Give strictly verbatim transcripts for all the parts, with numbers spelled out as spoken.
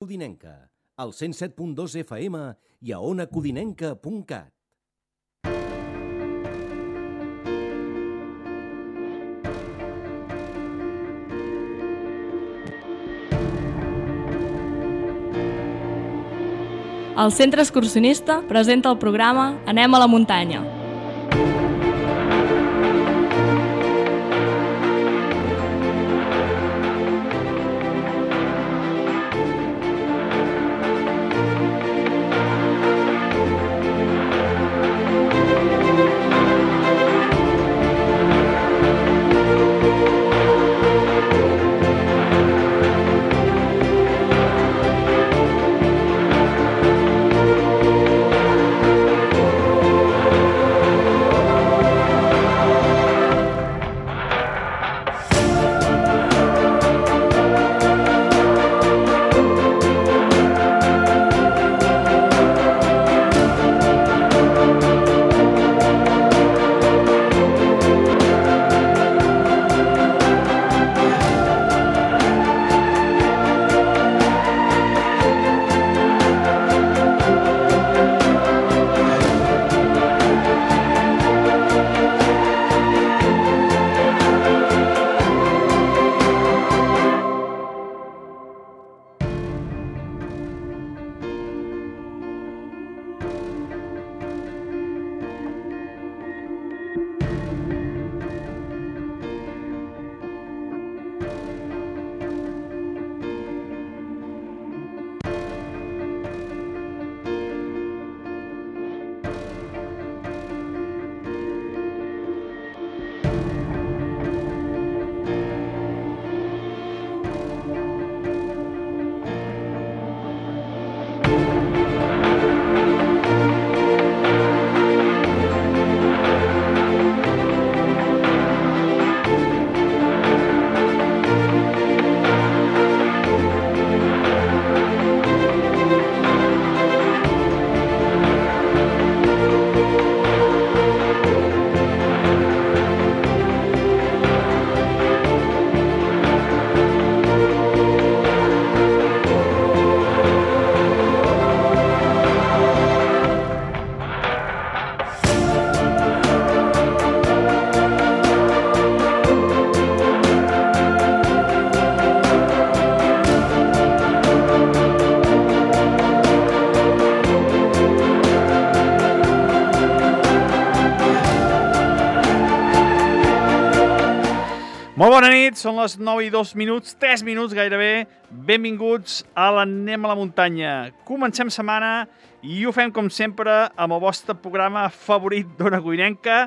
Codinenca, al cent set punt dos F M i a ona codinenca punt cat. El Centre Excursionista presenta el programa Anem a la muntanya. Molt bona nit, són les nou i dos minuts, tres minuts gairebé. Benvinguts a l'Anem a la muntanya. Comencem setmana i ho fem com sempre amb el vostre programa favorit d'Ona Codinenca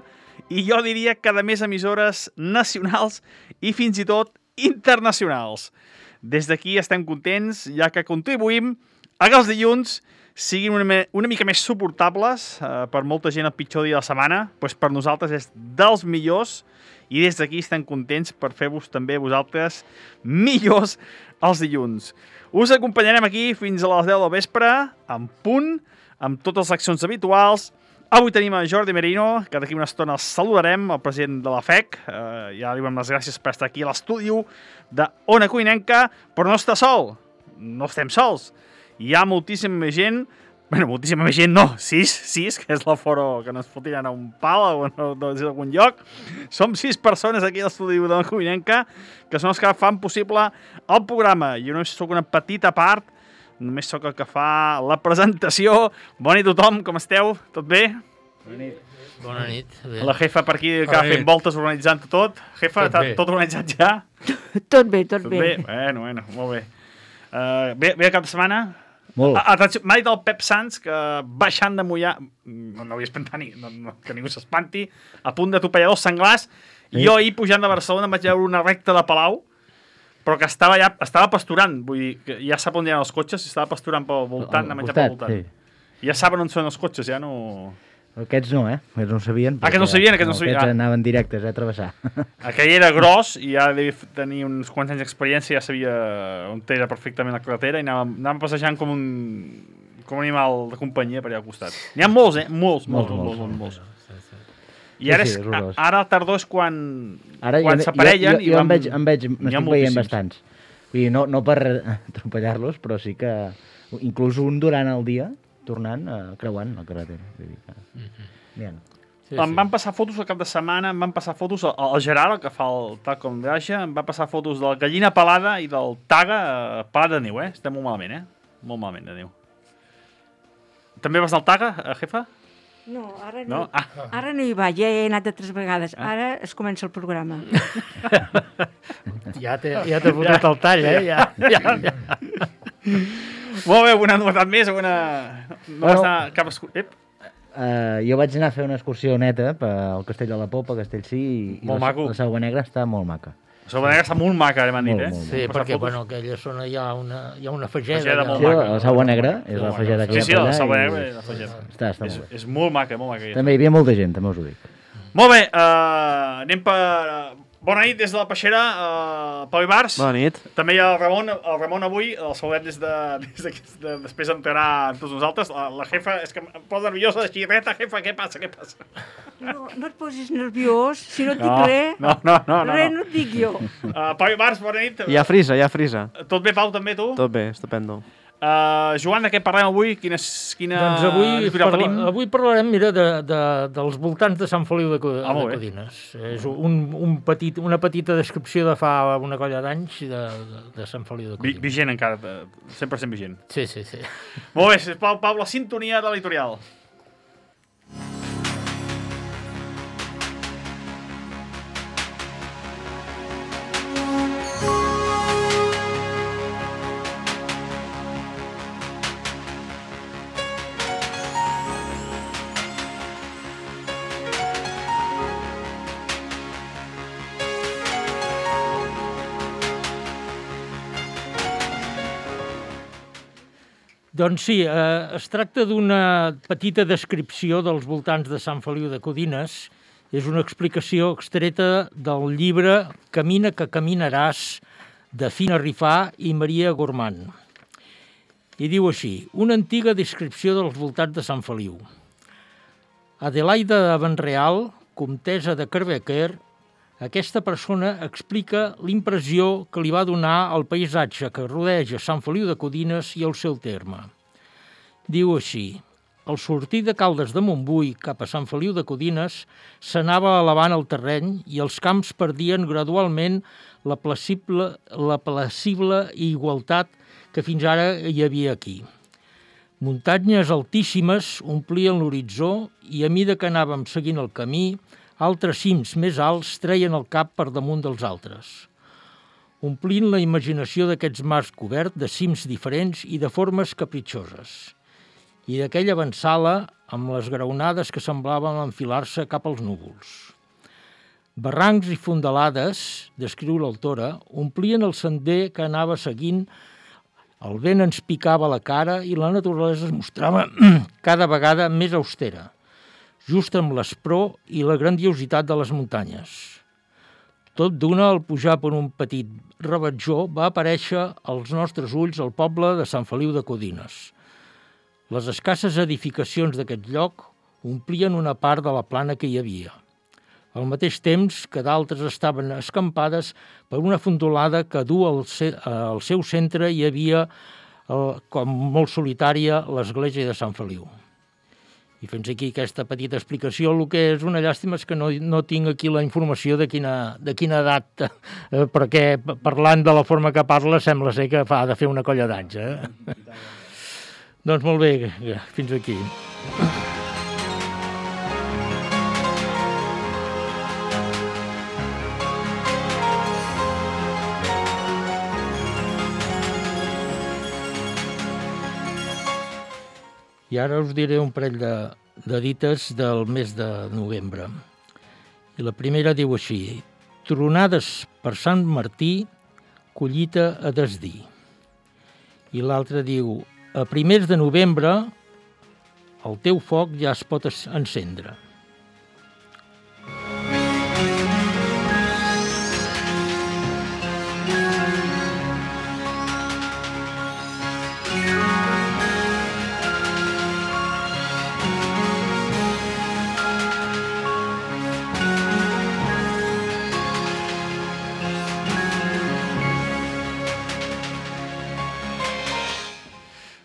i jo diria que de més emissores nacionals i fins i tot internacionals. Des d'aquí estem contents, ja que contribuïm a que els dilluns siguin una, una mica més suportables, eh, per molta gent el pitjor dia de la setmana, doncs per nosaltres és dels millors. I des d'aquí estem contents per fer-vos també vosaltres millors els dilluns. Us acompanyarem aquí fins a les deu del vespre, en punt, amb totes les accions habituals. Avui tenim a Jordi Merino, que d'aquí una estona el saludarem, el president de la F E C. Eh, ja li donem les gràcies per estar aquí a l'estudi d'Ona Codinenca, però no està sol, no estem sols. Hi ha moltíssima gent. Bueno, moltíssima gent no, sis, sis, que és l'aforo que no es fotiran a un pal o no, no és algun lloc. Som sis persones aquí a l'estudi de la Codinenca, que són els que fan possible el programa. Jo només soc una petita part, només sóc el que fa la presentació. Bona nit a tothom, com esteu? Tot bé? Bona nit. Bona nit. Bé. La jefa per aquí que va fent voltes organitzant tot. Jefa, tot, tot organitzat ja? Tot bé, tot, tot bé. bé. Bueno, bueno, molt bé. Uh, bé, bé el cap de setmana? Molt. M'ha dit el Pep Sans que baixant de Mollà, no, no havia espantat ni, no, no, que ningú s'espanti, a punt de topallar dos senglars, i jo ahir pujant de Barcelona em vaig veure una recta de Palau, però que estava ja estava pasturant, vull dir, que ja sap on hi ha els cotxes, estava pasturant pel voltant, a menjar pel voltant. Sí. Ja saben on són els cotxes, ja no... Aquests no, eh? Aquests no sabien. Ah, aquests no sabien, aquests no sabien. Aquests anaven directes, eh, a travessar. Aquell era gros i ja devia tenir uns quants anys d'experiència, ja sabia on era perfectament la carretera i anàvem, anàvem passejant com un, com un animal de companyia per allà al costat. N'hi ha molts, eh? Molts, molts, molts, molts. molts, molts. I ara, és, ara la tardor és quan, ara quan jo, s'aparellen jo, jo, i jo vam... em veig, em veig, m'estic veient bastants. I no, no per atropellar-los, però sí que inclús un durant el dia tornant, eh, creuant la carretera. Vull dir que... Bien. Sí, em sí. van passar fotos el cap de setmana, em van passar fotos, el, el Gerard, el que fa el Tacom Viatge, em va passar fotos de la gallina pelada i del Taga eh, pelat de neu, eh? Estem molt malament, eh? Molt malament de neu. També vas al Taga, eh, jefa? No, ara no, no? Ah. Ara no hi va, ja he anat de tres vegades. Ara es comença el programa. Ja t'he ja fotut ja, el tall, eh? Ja, ja, ja. Molt bé, una novetat més, una... No bueno, vas anar cap... Ep. Uh, jo vaig anar a fer una excursió neta pel Castell de la Popa, Castellcí, i molt la, maco. La Selva Negra està molt maca. La Selva Negra està molt maca, m'han dit, eh? Molt, sí, perquè, bueno, aquella zona hi ha una, hi ha una fageda. Fageda molt sí, maca. La Selva Negra és la fageda que hi ha sí, sí, per allà. Sí, sí, la Selva i... Negra és la fageda. Està, està és, molt bé. És molt maca, molt maca. També hi havia molta gent, també us ho dic. Molt bé, uh, anem per... Bona nit des de la Peixera, uh, Pau Ibars. Bona nit. També hi ha el Ramon, el Ramon avui, el saludem des de... Des de, de després entrarà amb tots nosaltres. La, la jefa, és que em posa nerviosa, així, reta, jefa, què passa, què passa? No, no et posis nerviós, si no et dic no, res, no, no, no, no, res no. no et dic jo. Uh, Pau Ibars, bona nit. Hi ha frisa, hi ha frisa. Tot bé, Pau, també, tu? Tot bé, estupendo. Uh, Joan, de què parlem avui? Quina, quina doncs avui, parla, tenim? avui parlarem, mira, de, de, dels voltants de Sant Feliu de, ah, de Codines. És un, un petit, una petita descripció de fa una colla d'anys de, de, de Sant Feliu de Codines. Vigent encara, cent per cent vigent. Sí, sí, sí. Molt bé, sisplau, Pau, la sintonia de l'editorial. Doncs sí, eh, es tracta d'una petita descripció dels voltants de Sant Feliu de Codines. És una explicació extreta del llibre Camina que caminaràs, de Fina Rifà i Maria Gormand. I diu així, una antiga descripció dels voltants de Sant Feliu. Adelaida de Benreal, comtessa de Carbequer, aquesta persona explica l'impressió que li va donar el paisatge que rodeja Sant Feliu de Codines i el seu terme. Diu així, al sortir de Caldes de Montbui cap a Sant Feliu de Codines s'anava elevant el terreny i els camps perdien gradualment la placible, la placible igualtat que fins ara hi havia aquí. Muntanyes altíssimes omplien l'horitzó i a mida que anàvem seguint el camí, altres cims més alts treien el cap per damunt dels altres, omplint la imaginació d'aquests mars coberts de cims diferents i de formes capritxoses, i d'aquella avançala amb les graonades que semblaven enfilar-se cap als núvols. Barrancs i fondalades, descriu l'autora, omplien el sender que anava seguint, el vent ens picava la cara i la naturalesa es mostrava cada vegada més austera, just amb l'espror i la grandiositat de les muntanyes. Tot d'una, al pujar per un petit rebatjó, va aparèixer als nostres ulls el poble de Sant Feliu de Codines. Les escasses edificacions d'aquest lloc omplien una part de la plana que hi havia, al mateix temps que d'altres estaven escampades per una fondolada que du al, ce al seu centre hi havia, el, com molt solitària, l'església de Sant Feliu. I fins aquí aquesta petita explicació. El que és una llàstima és que no, no tinc aquí la informació de quina, de quina edat, eh, perquè parlant de la forma que parla sembla ser que fa de fer una colla d'anys. Eh? Doncs molt bé, fins aquí. I ara us diré un parell de, de dites del mes de novembre. I la primera diu així, tronades per Sant Martí, collita a desdir. I l'altra diu, a primers de novembre, el teu foc ja es pot encendre.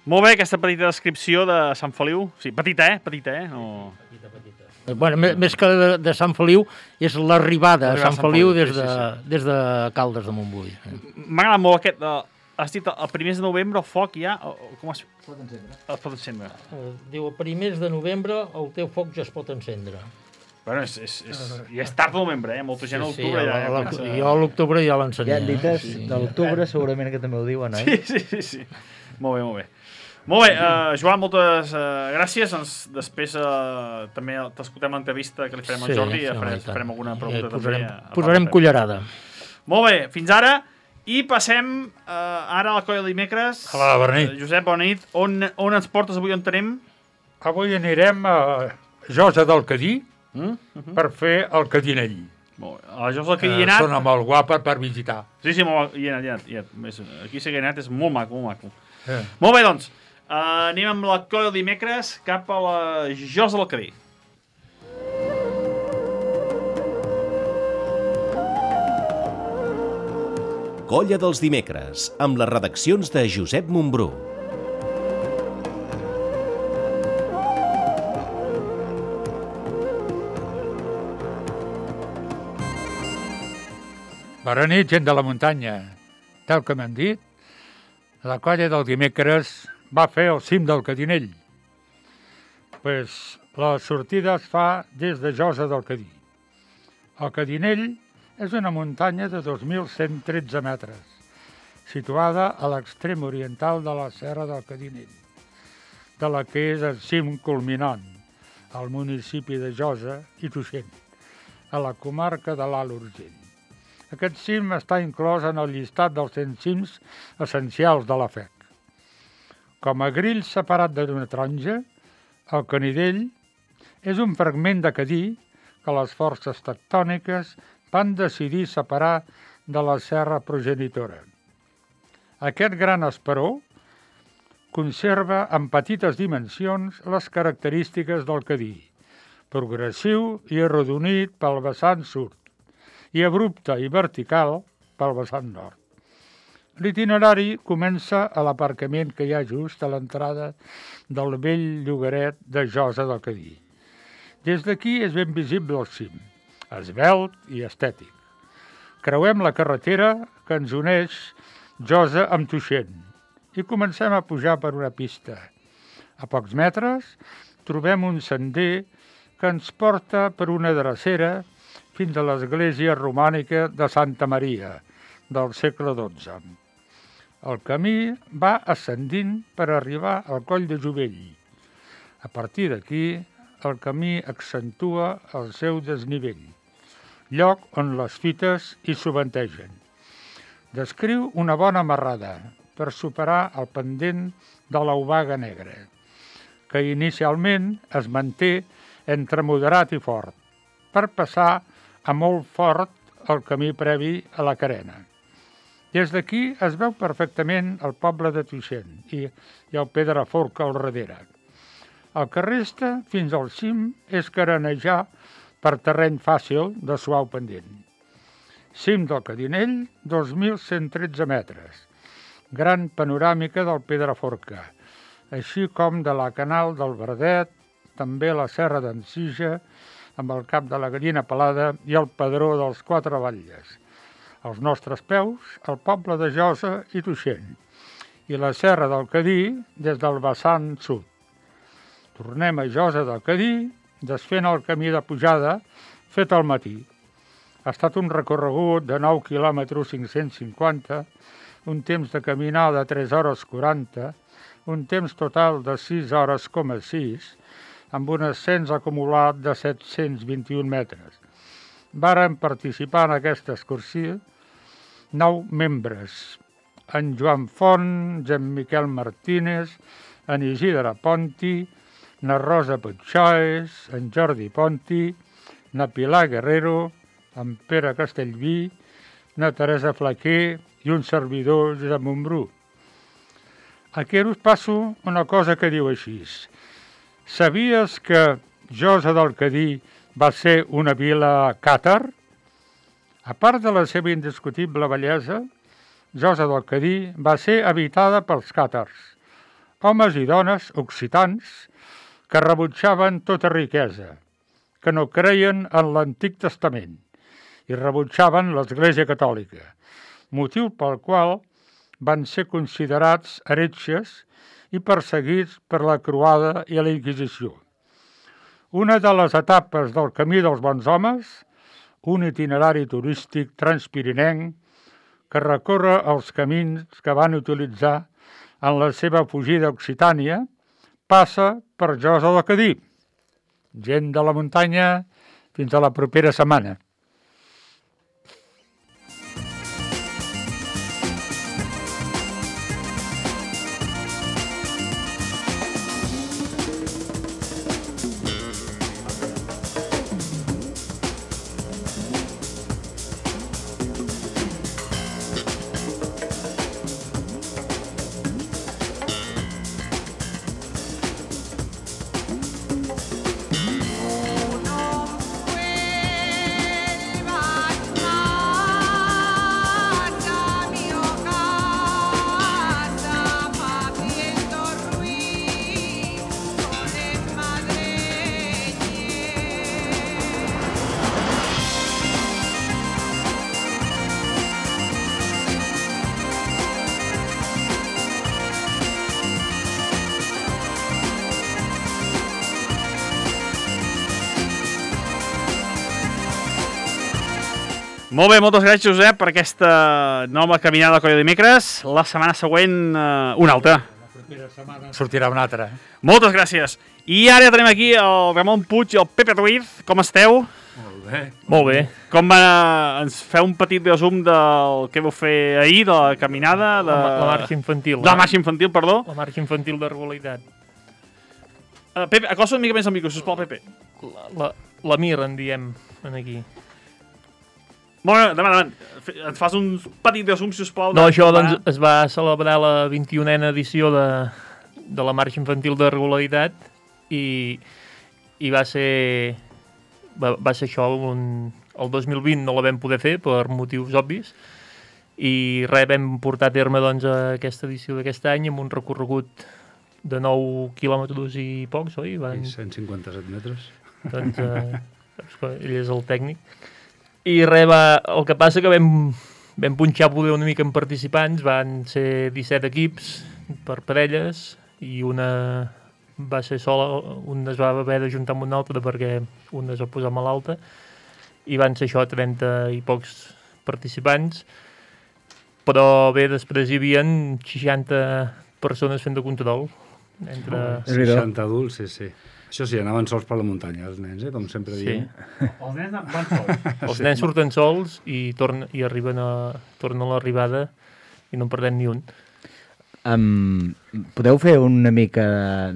Molt bé, aquesta petita descripció de Sant Feliu. Sí, petita, eh? Petita, eh? No... Petita, petita. Bueno, més que de, de Sant Feliu, és l'arribada a Sant Feliu des de, sí, sí. des de Caldes de Montbui. M'ha agradat molt aquest... Uh, has dit el primers de novembre el foc ja... O, com es... Es pot encendre. Es pot encendre. Uh, diu, el primers de novembre el teu foc ja es pot encendre. Bueno, és, és, és, ja és tard de novembre, eh? Molta gent a sí, l'octubre sí, ja... ja comença... Jo a l'octubre ja l'ensenya. Ja dites sí. de l'octubre segurament que també ho diuen, oi? Sí, sí, sí, sí. Molt bé, molt bé. Molt bé, uh, Joan, moltes uh, gràcies. Ens, després uh, també t'escoltem l'entrevista que li farem al sí, Jordi i sí, farem, farem alguna pregunta ja posarem, també. A, a posarem cullerada. Molt bé, fins ara. I passem uh, ara a la colla de dimecres. Hola, bona nit. Uh, Josep, bona nit. On, on ens portes avui, on tenem? Avui anirem a Josa del Cadí Mm? Uh-huh. per fer el cadinell. Molt bé. A la Josa del Cadí Eh, hi he anat. Sona molt guapa per visitar. Sí, sí, molt, hi he anat, hi he anat. Hi he anat. Aquí sí que he anat, és molt maco, molt maco. Eh. Molt bé, doncs. Uh, anem amb la colla de dimecres cap a la Josa del Cadí. Colla dels dimecres, amb les redaccions de Josep Montbrú. Bona nit, gent de la muntanya. Tal com hem dit, la colla del dimecres va fer el cim del Cadinell. Pues, la sortida es fa des de Josa del Cadí. El Cadinell és una muntanya de dos mil cent tretze metres, situada a l'extrem oriental de la Serra del Cadinell, de la que és el cim culminant, al municipi de Josa i Tuixén, a la comarca de l'Alt Urgell. Aquest cim està inclòs en el llistat dels cent cims essencials de la F E C. Com a grill separat d'una taronja, el Canidell és un fragment de Cadí que les forces tectòniques van decidir separar de la serra progenitora. Aquest gran esperó conserva en petites dimensions les característiques del Cadí, progressiu i arrodonit pel vessant sud, i abrupte i vertical pel vessant nord. L'itinerari comença a l'aparcament que hi ha just a l'entrada del vell llogaret de Josa del Cadí. Des d'aquí és ben visible el cim, esvelt i estètic. Creuem la carretera que ens uneix Josa amb Tuixén i comencem a pujar per una pista. A pocs metres trobem un sender que ens porta per una drecera fins a l'església romànica de Santa Maria, del segle dotze. El camí va ascendint per arribar al Coll de Jovell. A partir d'aquí, el camí accentua el seu desnivell, lloc on les fites hi sovintegen. Descriu una bona marrada per superar el pendent de l'Obaga Negra, que inicialment es manté entre moderat i fort, per passar a molt fort el camí previ a la Carena. Des d'aquí es veu perfectament el poble de Tuixén i, i el Pedraforca al darrere. El que resta fins al cim és carenejar per terreny fàcil de suau pendent. Cim del Cadinell, dos mil cent tretze metres. Gran panoràmica del Pedraforca, així com de la Canal del Verdet, també la Serra d'en Sija, amb el cap de la Gallina Pelada i el Pedró dels Quatre Batlles. Als nostres peus, el poble de Josa i Tuixén, i la Serra del Cadí des del vessant sud. Tornem a Josa del Cadí, desfent el camí de pujada fet al matí. Ha estat un recorregut de nou quilòmetres cinc-cents cinquanta, un temps de caminar de tres hores quaranta, un temps total de sis hores coma sis, amb un ascens acumulat de set-cents vint-i-un metres. Varen participar en aquesta excursió nou membres, en Joan Font, en Miquel Martínez, en Isidre Ponti, na Rosa Puigxoes, en Jordi Ponti, na Pilar Guerrero, en Pere Castellví, na Teresa Flaquer i un servidor de Montbrú. Aquí us passo una cosa que diu així. Sabies que Josa del Cadí va ser una vila càtar? A part de la seva indiscutible bellesa, Josa del Cadí va ser habitada pels càtars, homes i dones occitans que rebutjaven tota riquesa, que no creien en l'Antic Testament i rebutjaven l'Església Catòlica, motiu pel qual van ser considerats heretges i perseguits per la Croada i la Inquisició. Una de les etapes del Camí dels Bons Homes, un itinerari turístic transpirinenc que recorre els camins que van utilitzar en la seva fugida a Occitània, passa per Josa de Cadí. Gent de la muntanya, fins a la propera setmana. Molt bé, moltes gràcies, Josep, per aquesta nova caminada de Colla de Dimecres. La setmana següent, eh, una altra. La propera setmana sortirà una altra. Moltes gràcies. I ara ja tenim aquí el Ramon Puig i el Pepe Ruiz. Com esteu? Molt bé. Molt bé. Com va, ens feu un petit resum del que vau fer ahir, de la caminada? De... La, la marxa infantil. De la marxa infantil, perdó. La marxa infantil de regularitat. Uh, Pepe, acosta una mica més al micro, sisplau, Pepe. La, la, la Mir, en diem, en aquí. Molt bé, davant, davant. Ens fas un petit resum, sisplau. No, això doncs, es va celebrar la vint-i-unena edició de, de la marxa infantil de regularitat i, i va ser va, va ser això, un, el dos mil vint no la vam poder fer per motius obvis i res, vam portar a terme doncs, aquesta edició d'aquest any amb un recorregut de nou quilòmetres i pocs, oi? Van... I cent cinquanta-set metres. Doncs eh, ell és el tècnic. I res, va, el que passa que vam, vam punxar poder una mica en participants, van ser disset equips per parelles i una va ser sola, un es va haver d'ajuntar amb un altre perquè un es va posar malalta i van ser això, trenta i pocs participants, però bé, després hi havia seixanta persones fent de control. Entre... Oh, seixanta adults, sí, sí. Això sí, anaven sols per la muntanya, els nens, eh? Com sempre diem. Sí. Els nens van sols. Els nens surten sols i, torn, i arriben a, tornen a l'arribada i no en perdem ni un. Um, podeu fer una mica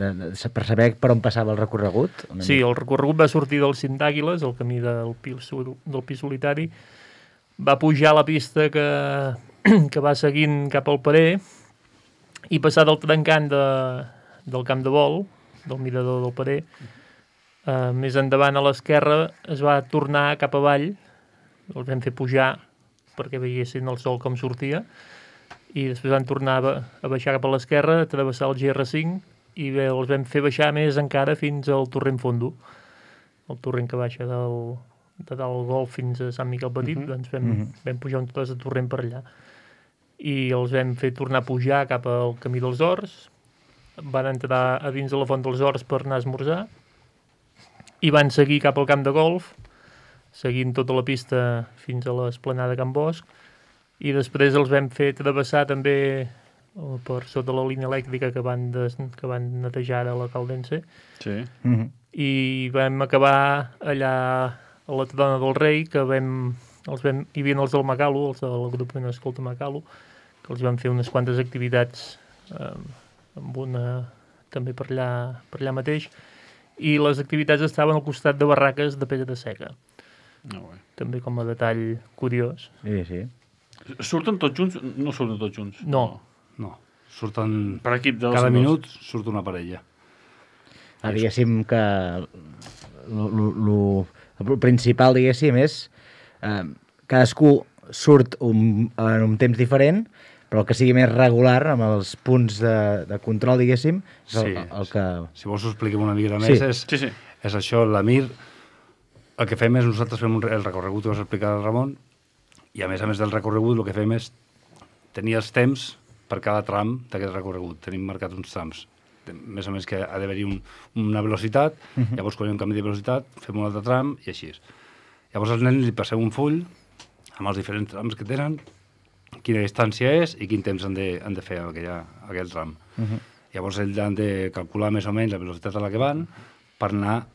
de, de, de, per saber per on passava el recorregut? Una Sí, mica? el recorregut va sortir del Cim d'Àguiles, el camí del pi, del pi solitari, va pujar a la pista que, que va seguint cap al parer i passar del trencant de, del camp de vol, del mirador del parer, uh, més endavant a l'esquerra es va tornar cap avall, el vam fer pujar perquè veiessin el sol com sortia, i després van tornar a, a baixar cap a l'esquerra, a travessar el G R cinc, i bé, els vam fer baixar més encara fins al torrent Fondo, el torrent que baixa del, de dalt Golf fins a Sant Miquel Petit, uh-huh. doncs vam, uh-huh. vam pujar un tros de torrent per allà. I els vam fer tornar a pujar cap al camí dels Horts, van entrar a dins de la Font dels Horts per anar a esmorzar i van seguir cap al camp de golf, seguint tota la pista fins a l'esplanada Can Bosch, i després els vam fer travessar també per sota la línia elèctrica que van, des, que van netejar ara a la Caldense, sí. Mm-hmm. i vam acabar allà a la Trona del Rei, que vam, els vam, hi havia els del Macalo, els del grup Escolta Macalo, que els van fer unes quantes activitats eh, amb una també per allà, per allà mateix, i les activitats estaven al costat de barraques de pedra seca. No, bé. També com a detall curiós. Sí, sí. Surten tots junts? No surten tots junts. No. No, surten... Per equip dels Cada dos. minut surt una parella. Ah, diguéssim que lo, lo, lo, el principal, diguéssim, és eh, cadascú surt un, en un temps diferent, però que sigui més regular amb els punts de, de control, diguéssim, és el, Sí, el que... Si vols ho expliquem una mica Sí. més, és, Sí, sí. és això, la Mir, el que fem és, nosaltres fem un, re- el recorregut que vas explicar al Ramon, i a més a més del recorregut el que fem és tenir els temps per cada tram d'aquest recorregut. Tenim marcat uns trams. De- Més o menys que ha d'haver-hi un, una velocitat, llavors quan hi ha un canvi de velocitat fem un altre tram i així és. Llavors als nens li passeu un full amb els diferents trams que tenen, quina distància és i quin temps han de, han de fer aquella, aquell tram. Uh -huh. Llavors ells han de calcular més o menys la velocitat a la que van per anar a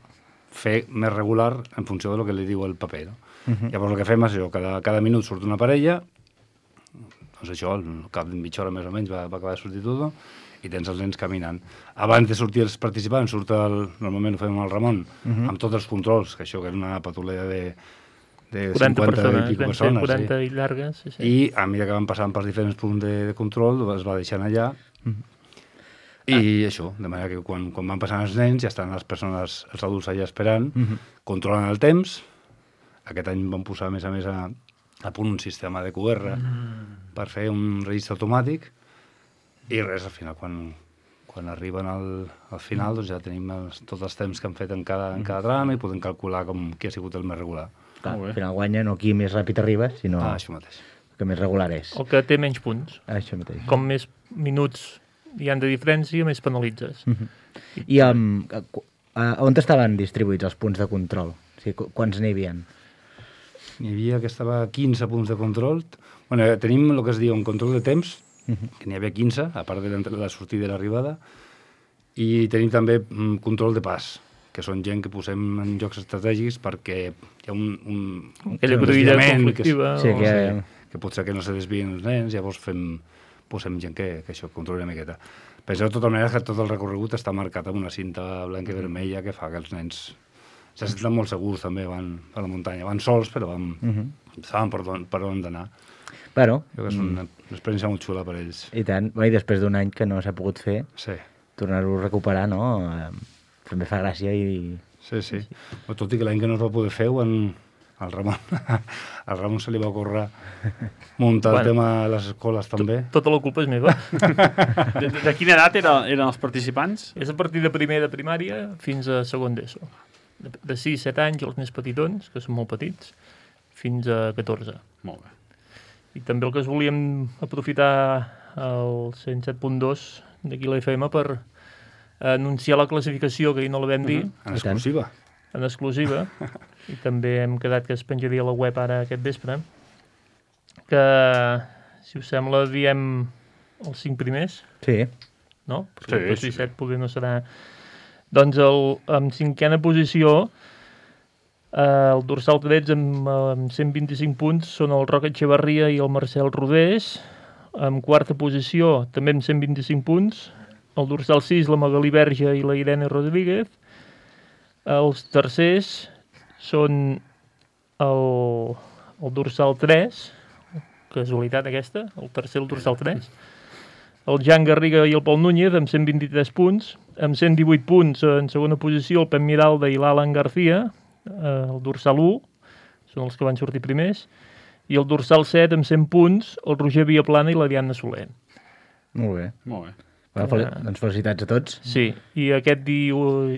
fer més regular en funció del que li diu el paper. No? Uh -huh. Llavors el que fem és això, cada, cada minut surt una parella, doncs això, al cap de mitja hora més o menys va, va acabar de sortir tot, i tens els nens caminant. Abans de sortir els participants, surt el, normalment ho fem amb el Ramon, uh -huh. amb tots els controls, que això que era una patulea de, de quaranta cinquanta persones, i pico vam ser persones. quaranta sí. i llargues. Sí, sí. I a mesura que van passant pels diferents punts de, de control, es va deixant allà. I ah. això, de manera que quan, quan van passant els nens ja estan les persones, els adults allà esperant, uh -huh. controlen el temps. Aquest any van posar, a més a més, a, a punt un sistema de Q R mm. per fer un registre automàtic i res, al final, quan, quan arriben al, al final, doncs ja tenim els, tots els temps que han fet en cada, en cada tram i podem calcular com qui ha sigut el més regular. Clar, al final guanya no qui més ràpid arriba, sinó Ah, això mateix. que més regular és. El que té menys punts. Això mateix. Com més minuts hi han de diferència, més penalitzes. Uh -huh. I um, a, on estaven distribuïts els punts de control? O sigui, qu quants n'hi havia? N'hi havia que estava a quinze punts de control. Bueno, tenim el que es diu un control de temps, uh -huh. que n'hi havia quinze, a part de la, la sortida i l'arribada, i tenim també mm, control de pas, que són gent que posem en llocs estratègics perquè hi ha un, un, Aquella un cruïlla desviament conflictiva. Que, Sí, o, que- sí, que potser que no se desvien els nens, llavors fem, posem gent que, que això controli una miqueta. Penseu de tota manera que tot el recorregut està marcat amb una cinta blanca i vermella que fa que els nens se senten molt segurs també, van a la muntanya. Van sols, però van, uh -huh. saben per on, per on d'anar. Bueno, Crec que és una, una experiència molt xula per ells. i tant. Bueno, i després d'un any que no s'ha pogut fer, Sí, tornar-ho a recuperar, no? Eh, també fa gràcia i... sí, sí. sí. Tot i que l'any que no es va poder fer, en, al Ramon, al Ramon se li va ocórrer muntar Bueno. el tema a les escoles també. Tota la culpa és meva. De, de quina edat era, eren els participants? És a partir de primer de primària fins a segon d'ESO. De, de sis a set anys, els més petitons, que són molt petits, fins a catorze. Molt bé. I també el que es volíem aprofitar el cent set punt dos d'aquí la F M per anunciar la classificació, que ahir no la vam dir, En exclusiva. en exclusiva, i també hem quedat que es penjaria a la web ara aquest vespre, que, si us sembla, diem els cinc primers, Sí. no? Perquè Sí, el dos sí, i sí. set poder no serà... Doncs el, en cinquena posició, eh, el dorsal tretze amb, amb cent vint-i-cinc punts són el Roc Echevarria i el Marcel Rodés. En quarta posició, també amb cent vint-i-cinc punts, el dorsal sis, la Magalí Verge i la Irene Rodríguez. Els tercers són el, el dorsal tres, casualitat aquesta, el tercer el dorsal tres, el Jan Garriga i el Pol Núñez amb cent vint-i-tres punts, amb cent divuit punts en segona posició el Pep Miralda i l'Alan García, eh, el dorsal u, són els que van sortir primers, i el dorsal set amb cent punts, el Roger Viaplana i la Diana Soler. Molt bé. Molt bé. Bueno, fel doncs felicitats a tots. Sí, i aquest di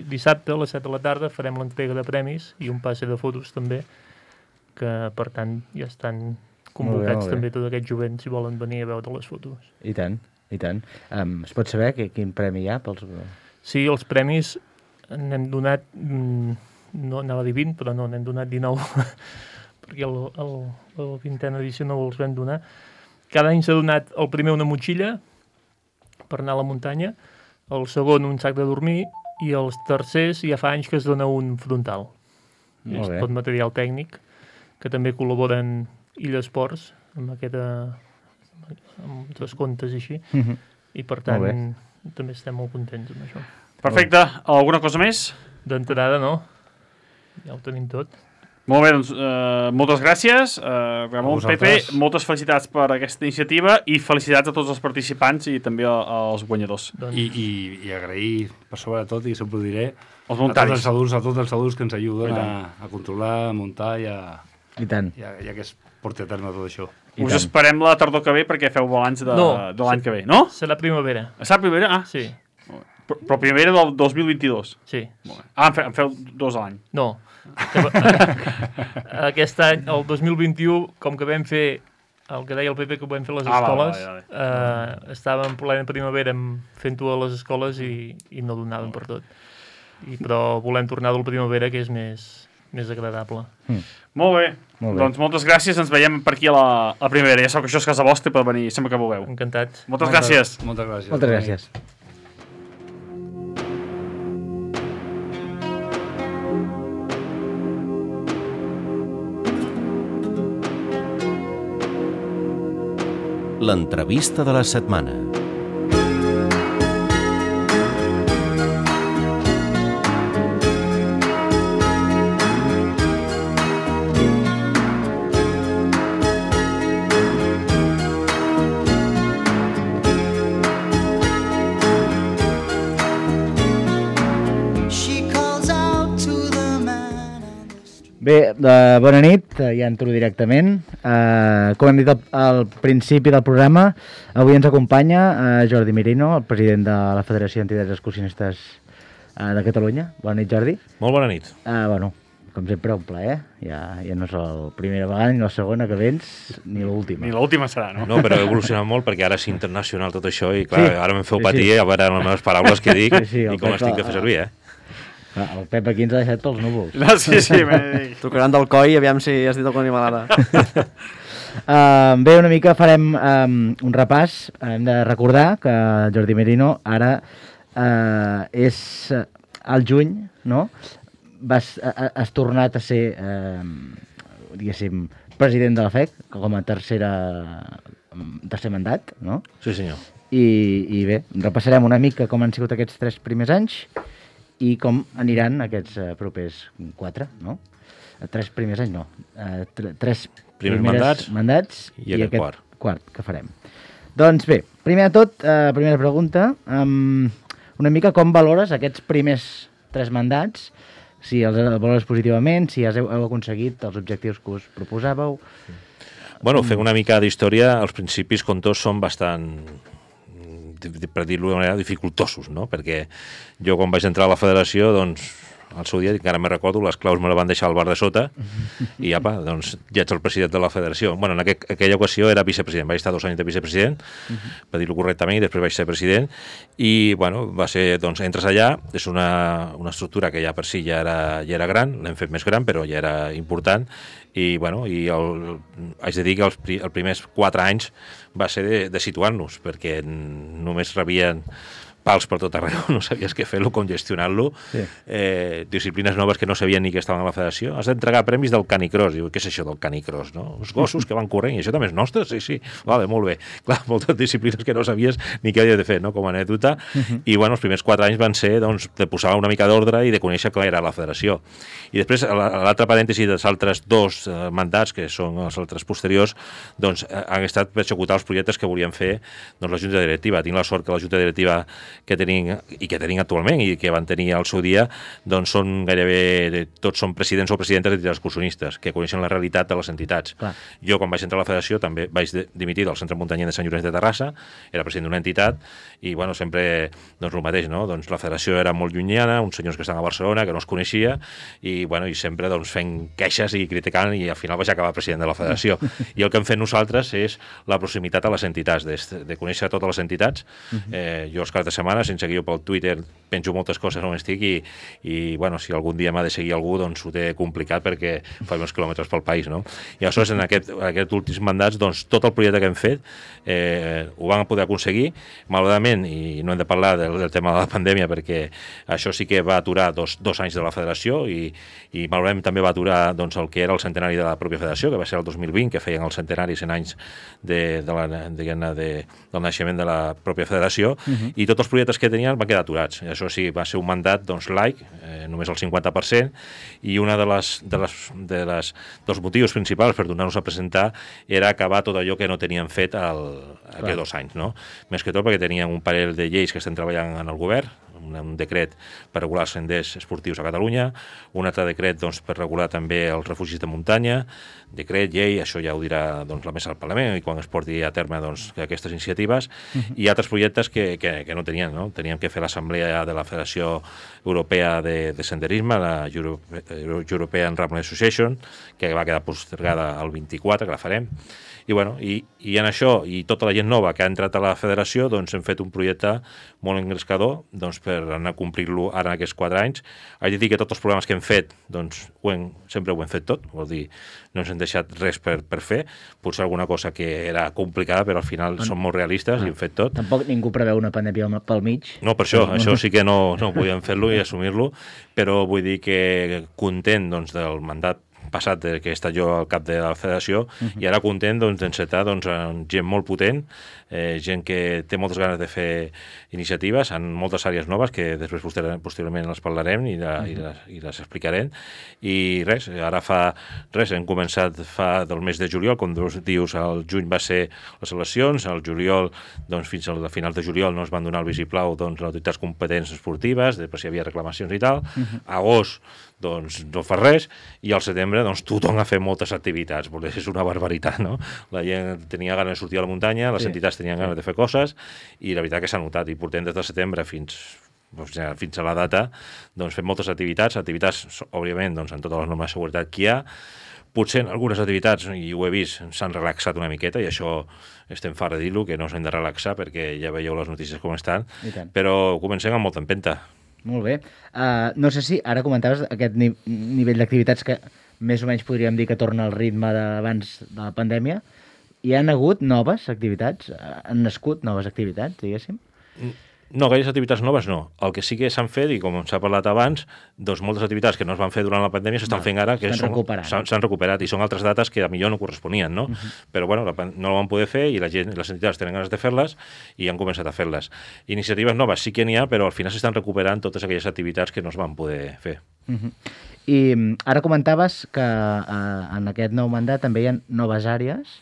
dissabte a les set de la tarda farem l'entrega de premis i un passe de fotos també, que per tant ja estan convocats molt bé. també tot aquest jovent si volen venir a veure les fotos. I tant, i tant. Um, es pot saber que, quin premi hi ha pels... Sí, els premis n'hem donat, mm, no anava a dir vint, però no, n'hem donat dinou, perquè el, el, la vintena edició no els vam donar. Cada any s'ha donat el primer una motxilla per anar a la muntanya, el segon un sac de dormir i els tercers ja fa anys que es dona un frontal. Molt És bé. tot material tècnic, que també col·laboren Illa Esports amb aquesta amb descomptes i així, Uh -huh. i per tant Molt també estem molt contents amb això. Perfecte. Alguna cosa més? D'entrada, no? Ja ho tenim tot. Molt bé, doncs, uh, moltes gràcies. Uh, Ramon, A Pepe, vosaltres. moltes felicitats per aquesta iniciativa i felicitats a tots els participants i també a, als guanyadors. Doncs, I, i, i agrair, per sobre de tot, i sempre ho diré, Els a tots voluntaris. els adults, a tots els adults que ens ajuden I a, a controlar, a muntar i a, I tant, i a, i a que es porti a terme tot això. I Us tant. esperem la tardor que ve perquè feu balanç de, No. de l'any que ve, no? Serà primavera. A la primera? Ah, Sí, però, però primera del dos mil vint-i-dos. sí. Molt bé. Ah, en, fe, en feu dos a l'any. No. Aquest any, el dos mil vint-i-u, com que vam fer el que deia el Pepe, que ho vam fer a les Ah, escoles, vale, vale, vale. Eh, estàvem en plena primavera fent-ho a les escoles i, i no donàvem per tot. I, però volem tornar del primavera, que és més, més agradable. Molt bé. Molt bé. Doncs moltes gràcies. Ens veiem per aquí a la, a la primavera. Ja sabeu que això és casa vostra i pot venir sempre que vulgueu. Encantat. Moltes gràcies. Moltes gràcies. Moltes gràcies. L'entrevista de la setmana. Bé, eh, bona nit, eh, ja entro directament. Eh, com hem dit al, al principi del programa, avui ens acompanya eh, Jordi Mirino, el president de la Federació d'Entitats Excursionistes eh, de Catalunya. Bona nit, Jordi. Molt bona nit. Eh, bueno, com sempre, un plaer. Ja, ja no és la primera vegada ni la segona que vens, ni l'última. Ni l'última serà, no? No, però he evolucionat molt perquè ara és internacional tot això i clar, Sí, ara me'n feu sí, patir sí. a veure les meves paraules que dic Sí, sí, el i com Pep, les tinc de fer servir, eh? Clar, el Pep aquí ens ha deixat pels núvols. No, sí, sí. Me... Tocaran del coi, aviam si has dit alguna animalada. Uh, bé, una mica farem um, un repàs. Hem de recordar que Jordi Merino ara uh, és uh, al juny, no? Vas, uh, has tornat a ser, uh, diguéssim, president de la F E C, com a tercera, tercer mandat, no? Sí, senyor. I, I bé, repassarem una mica com han sigut aquests tres primers anys i com aniran aquests uh, propers quatre, no? Tres primers anys, no. Uh, tre tres Primers primeres mandats, mandats i aquest quart. quart que farem. Doncs bé, primer de tot, uh, primera pregunta, um, una mica com valores aquests primers tres mandats, si els valores positivament, si has, heu aconseguit els objectius que us proposàveu. Bueno, fent una mica d'història, els principis, com tots, són bastant, per dir-ho d'una manera, dificultosos, no? Perquè jo, quan vaig entrar a la federació, doncs, al seu dia, encara me recordo, les claus me la van deixar al bar de sota i apa, doncs ja ets el president de la federació. Bueno, en aqu aquella ocasió era vicepresident, vaig estar dos anys de vicepresident, uh -huh. per dir-ho correctament, i després vaig ser president, i bueno, va ser, doncs, entres allà, és una, una estructura que ja per si ja era, ja era gran, l'hem fet més gran, però ja era important, i bueno, i el, haig de dir que els, els primers quatre anys va ser de, de situar-nos, perquè només rebien pals per tot arreu, no sabies què fer-lo, com gestionar-lo, sí. eh, disciplines noves que no sabien ni que estaven a la federació. Has d'entregar premis del canicross. Diu, què és això del canicross, no? Els gossos que van corrent, i això també és nostre? Sí, sí. Vale, molt bé. Clar, moltes disciplines que no sabies ni què havies de fer, no? Com a anècdota. Uh -huh. I, bueno, els primers quatre anys van ser, doncs, de posar una mica d'ordre i de conèixer què era la federació. I després, a l'altre parèntesi dels altres dos eh, mandats, que són els altres posteriors, doncs, han estat per executar els projectes que volien fer, doncs, la Junta Directiva. Tinc la sort que la Junta Directiva que tenim i que tenim actualment i que van tenir al seu dia, doncs són gairebé tots són presidents o presidentes d'entitats excursionistes que coneixen la realitat de les entitats. Clar. Jo, quan vaig entrar a la federació, també vaig de, dimitir del Centre Muntanyenc de Sant Llorenç de Terrassa, era president d'una entitat i, bueno, sempre, doncs, el mateix, no? Doncs la federació era molt llunyana, uns senyors que estan a Barcelona, que no es coneixia, i, bueno, i sempre, doncs, fent queixes i criticant, i al final vaig acabar president de la federació. I el que hem fet nosaltres és la proximitat a les entitats, de, de conèixer totes les entitats. Eh, jo els caps de setmana, sense que jo pel Twitter penjo moltes coses on estic i, i bueno, si algun dia m'ha de seguir algú, doncs ho té complicat perquè fa uns quilòmetres pel país, no? I aleshores, en aquest, aquest últims mandats, doncs tot el projecte que hem fet eh, ho van poder aconseguir, malauradament, i no hem de parlar del, del tema de la pandèmia perquè això sí que va aturar dos, dos anys de la federació i, i malauradament també va aturar, doncs, el que era el centenari de la pròpia federació, que va ser el dos mil vint, que feien el centenari cent anys de, de la, de, de, del naixement de la pròpia federació, uh -huh. i tots els projectes que tenien van quedar aturats. I això sí, va ser un mandat, doncs, laic, eh, només el cinquanta per cent, i una de les, de les, de les dels motius principals per donar-nos a presentar era acabar tot allò que no tenien fet el, aquests dos anys, no? Més que tot perquè tenien un parell de lleis que estem treballant en el govern, un, un decret per regular els senders esportius a Catalunya, un altre decret doncs, per regular també els refugis de muntanya, decret, llei, això ja ho dirà doncs, la mesa del Parlament i quan es porti a terme doncs, aquestes iniciatives, uh-huh. i altres projectes que, que, que no tenien, no? Teníem que fer l'assemblea de la Federació Europea de, de Senderisme, la Europe, European Running Association, que va quedar postergada al vint-i-quatre, que la farem. I, bueno, i, i en això, i tota la gent nova que ha entrat a la federació, doncs hem fet un projecte molt engrescador doncs, per anar a complir-lo ara en aquests quatre anys. Haig de dir que tots els programes que hem fet, doncs ho hem, sempre ho hem fet tot, vol dir, no ens hem deixat res per, per fer, potser alguna cosa que era complicada, però al final bueno, som molt realistes ah, i hem fet tot. Tampoc ningú preveu una pandèmia pel mig. No, per això, no. això sí que no, no podíem fer-lo i assumir-lo, però vull dir que content doncs, del mandat passat que he estat jo al cap de la federació uh-huh. i ara content doncs, d'encetar doncs, gent molt potent, eh, gent que té moltes ganes de fer iniciatives en moltes àrees noves que després posteriorment les parlarem i, la, uh-huh. i, les, i les explicarem. I res, ara fa res, hem començat fa del mes de juliol, com dius, al juny va ser les eleccions, al juliol, doncs, fins al final de juliol no es van donar el visiplau doncs, les autoritats competents esportives, després hi havia reclamacions i tal, uh-huh. agost doncs no fa res, i al setembre doncs tothom ha fet moltes activitats, perquè és una barbaritat, no? La gent tenia ganes de sortir a la muntanya, les sí. entitats tenien ganes de fer coses, i la veritat que s'ha notat, i portem des de setembre fins, doncs, ja, fins a la data, doncs fem moltes activitats, activitats, òbviament, doncs, en totes les normes de seguretat que hi ha. Potser en algunes activitats, i ho he vist, s'han relaxat una miqueta, i això estem farts de dir-lo, que no s'hem de relaxar, perquè ja veieu les notícies com estan, però comencem amb molta empenta. Molt bé. Uh, no sé si ara comentaves aquest ni nivell d'activitats que més o menys podríem dir que torna al ritme d'abans de la pandèmia. Hi han hagut noves activitats? Han nascut noves activitats, diguéssim? No, gaires activitats noves no. El que sí que s'han fet, i com s'ha parlat abans, doncs moltes activitats que no es van fer durant la pandèmia s'estan fent ara, que s'han recuperat, i són altres dates que millor no corresponien, no? Uh-huh. Però bueno, la, no ho van poder fer i la gent, les entitats tenen ganes de fer-les i han començat a fer-les. Iniciatives noves sí que n'hi ha, però al final s'estan recuperant totes aquelles activitats que no es van poder fer. Uh-huh. I ara comentaves que uh, en aquest nou mandat també hi ha noves àrees.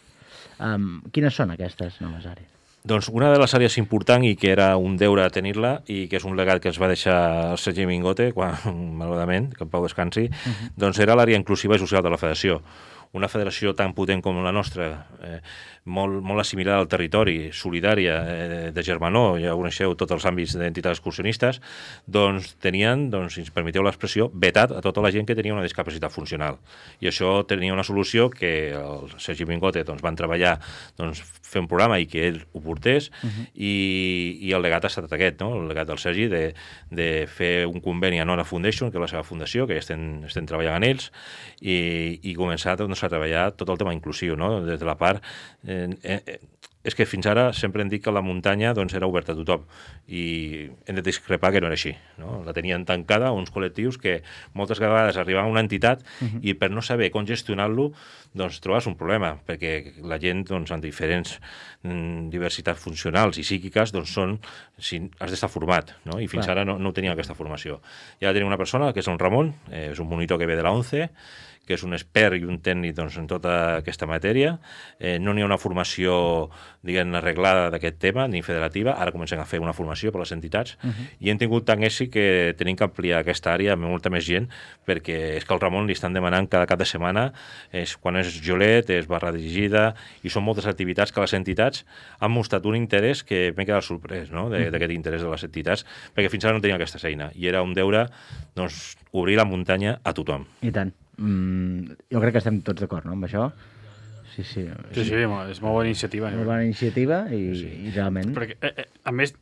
Um, quines són aquestes noves àrees? Doncs una de les àrees important i que era un deure tenir-la i que és un legat que es va deixar el Sergi Mingote, quan, malauradament, que en pau descansi, uh-huh. doncs era l'àrea inclusiva i social de la federació. Una federació tan potent com la nostra, eh, molt, molt assimilada al territori, solidària, eh, de germanor, ja coneixeu tots els àmbits d'entitats excursionistes, doncs tenien, doncs, si ens permeteu l'expressió, vetat a tota la gent que tenia una discapacitat funcional. I això tenia una solució que el Sergi Mingote doncs, van treballar doncs, fer un programa i que ell ho portés, uh-huh. i, i el legat ha estat aquest, no? El legat del Sergi de, de fer un conveni a Nora Foundation, que és la seva fundació, que ja estem, estem treballant en ells, i, i començar doncs, a treballar tot el tema inclusiu, no? Des de la part... Eh, eh, és que fins ara sempre hem dit que la muntanya doncs, era oberta a tothom i hem de discrepar que no era així, no? La tenien tancada uns col·lectius que moltes vegades arribaven a una entitat uh-huh. i per no saber com gestionar-lo doncs trobes un problema, perquè la gent doncs, amb diferents mm, diversitats funcionals i psíquiques doncs són, si, has d'estar format, no? I fins Clar. ara no, no tenia aquesta formació. Ja tenim una persona que és el Ramon, eh, és un monitor que ve de la ONCE, que és un expert i un tècnic doncs, en tota aquesta matèria. Eh, no n'hi ha una formació, diguem, arreglada d'aquest tema, ni federativa. Ara comencem a fer una formació per les entitats. Uh-huh. I hem tingut tant èxit que tenim que ampliar aquesta àrea amb molta més gent, perquè és que al Ramon li estan demanant cada cap de setmana, és, quan és Jolet, és barra dirigida, i són moltes activitats que les entitats han mostrat un interès que m'he quedat sorprès, no?, d'aquest uh-huh. interès de les entitats, perquè fins ara no tenia aquesta feina. I era un deure, doncs, obrir la muntanya a tothom. I tant. Mm, jo crec que estem tots d'acord, no?, amb això. Sí, sí. Sí, sí, és molt bona iniciativa. Molt bona iniciativa i, sí. i realment... Perquè, eh, a més,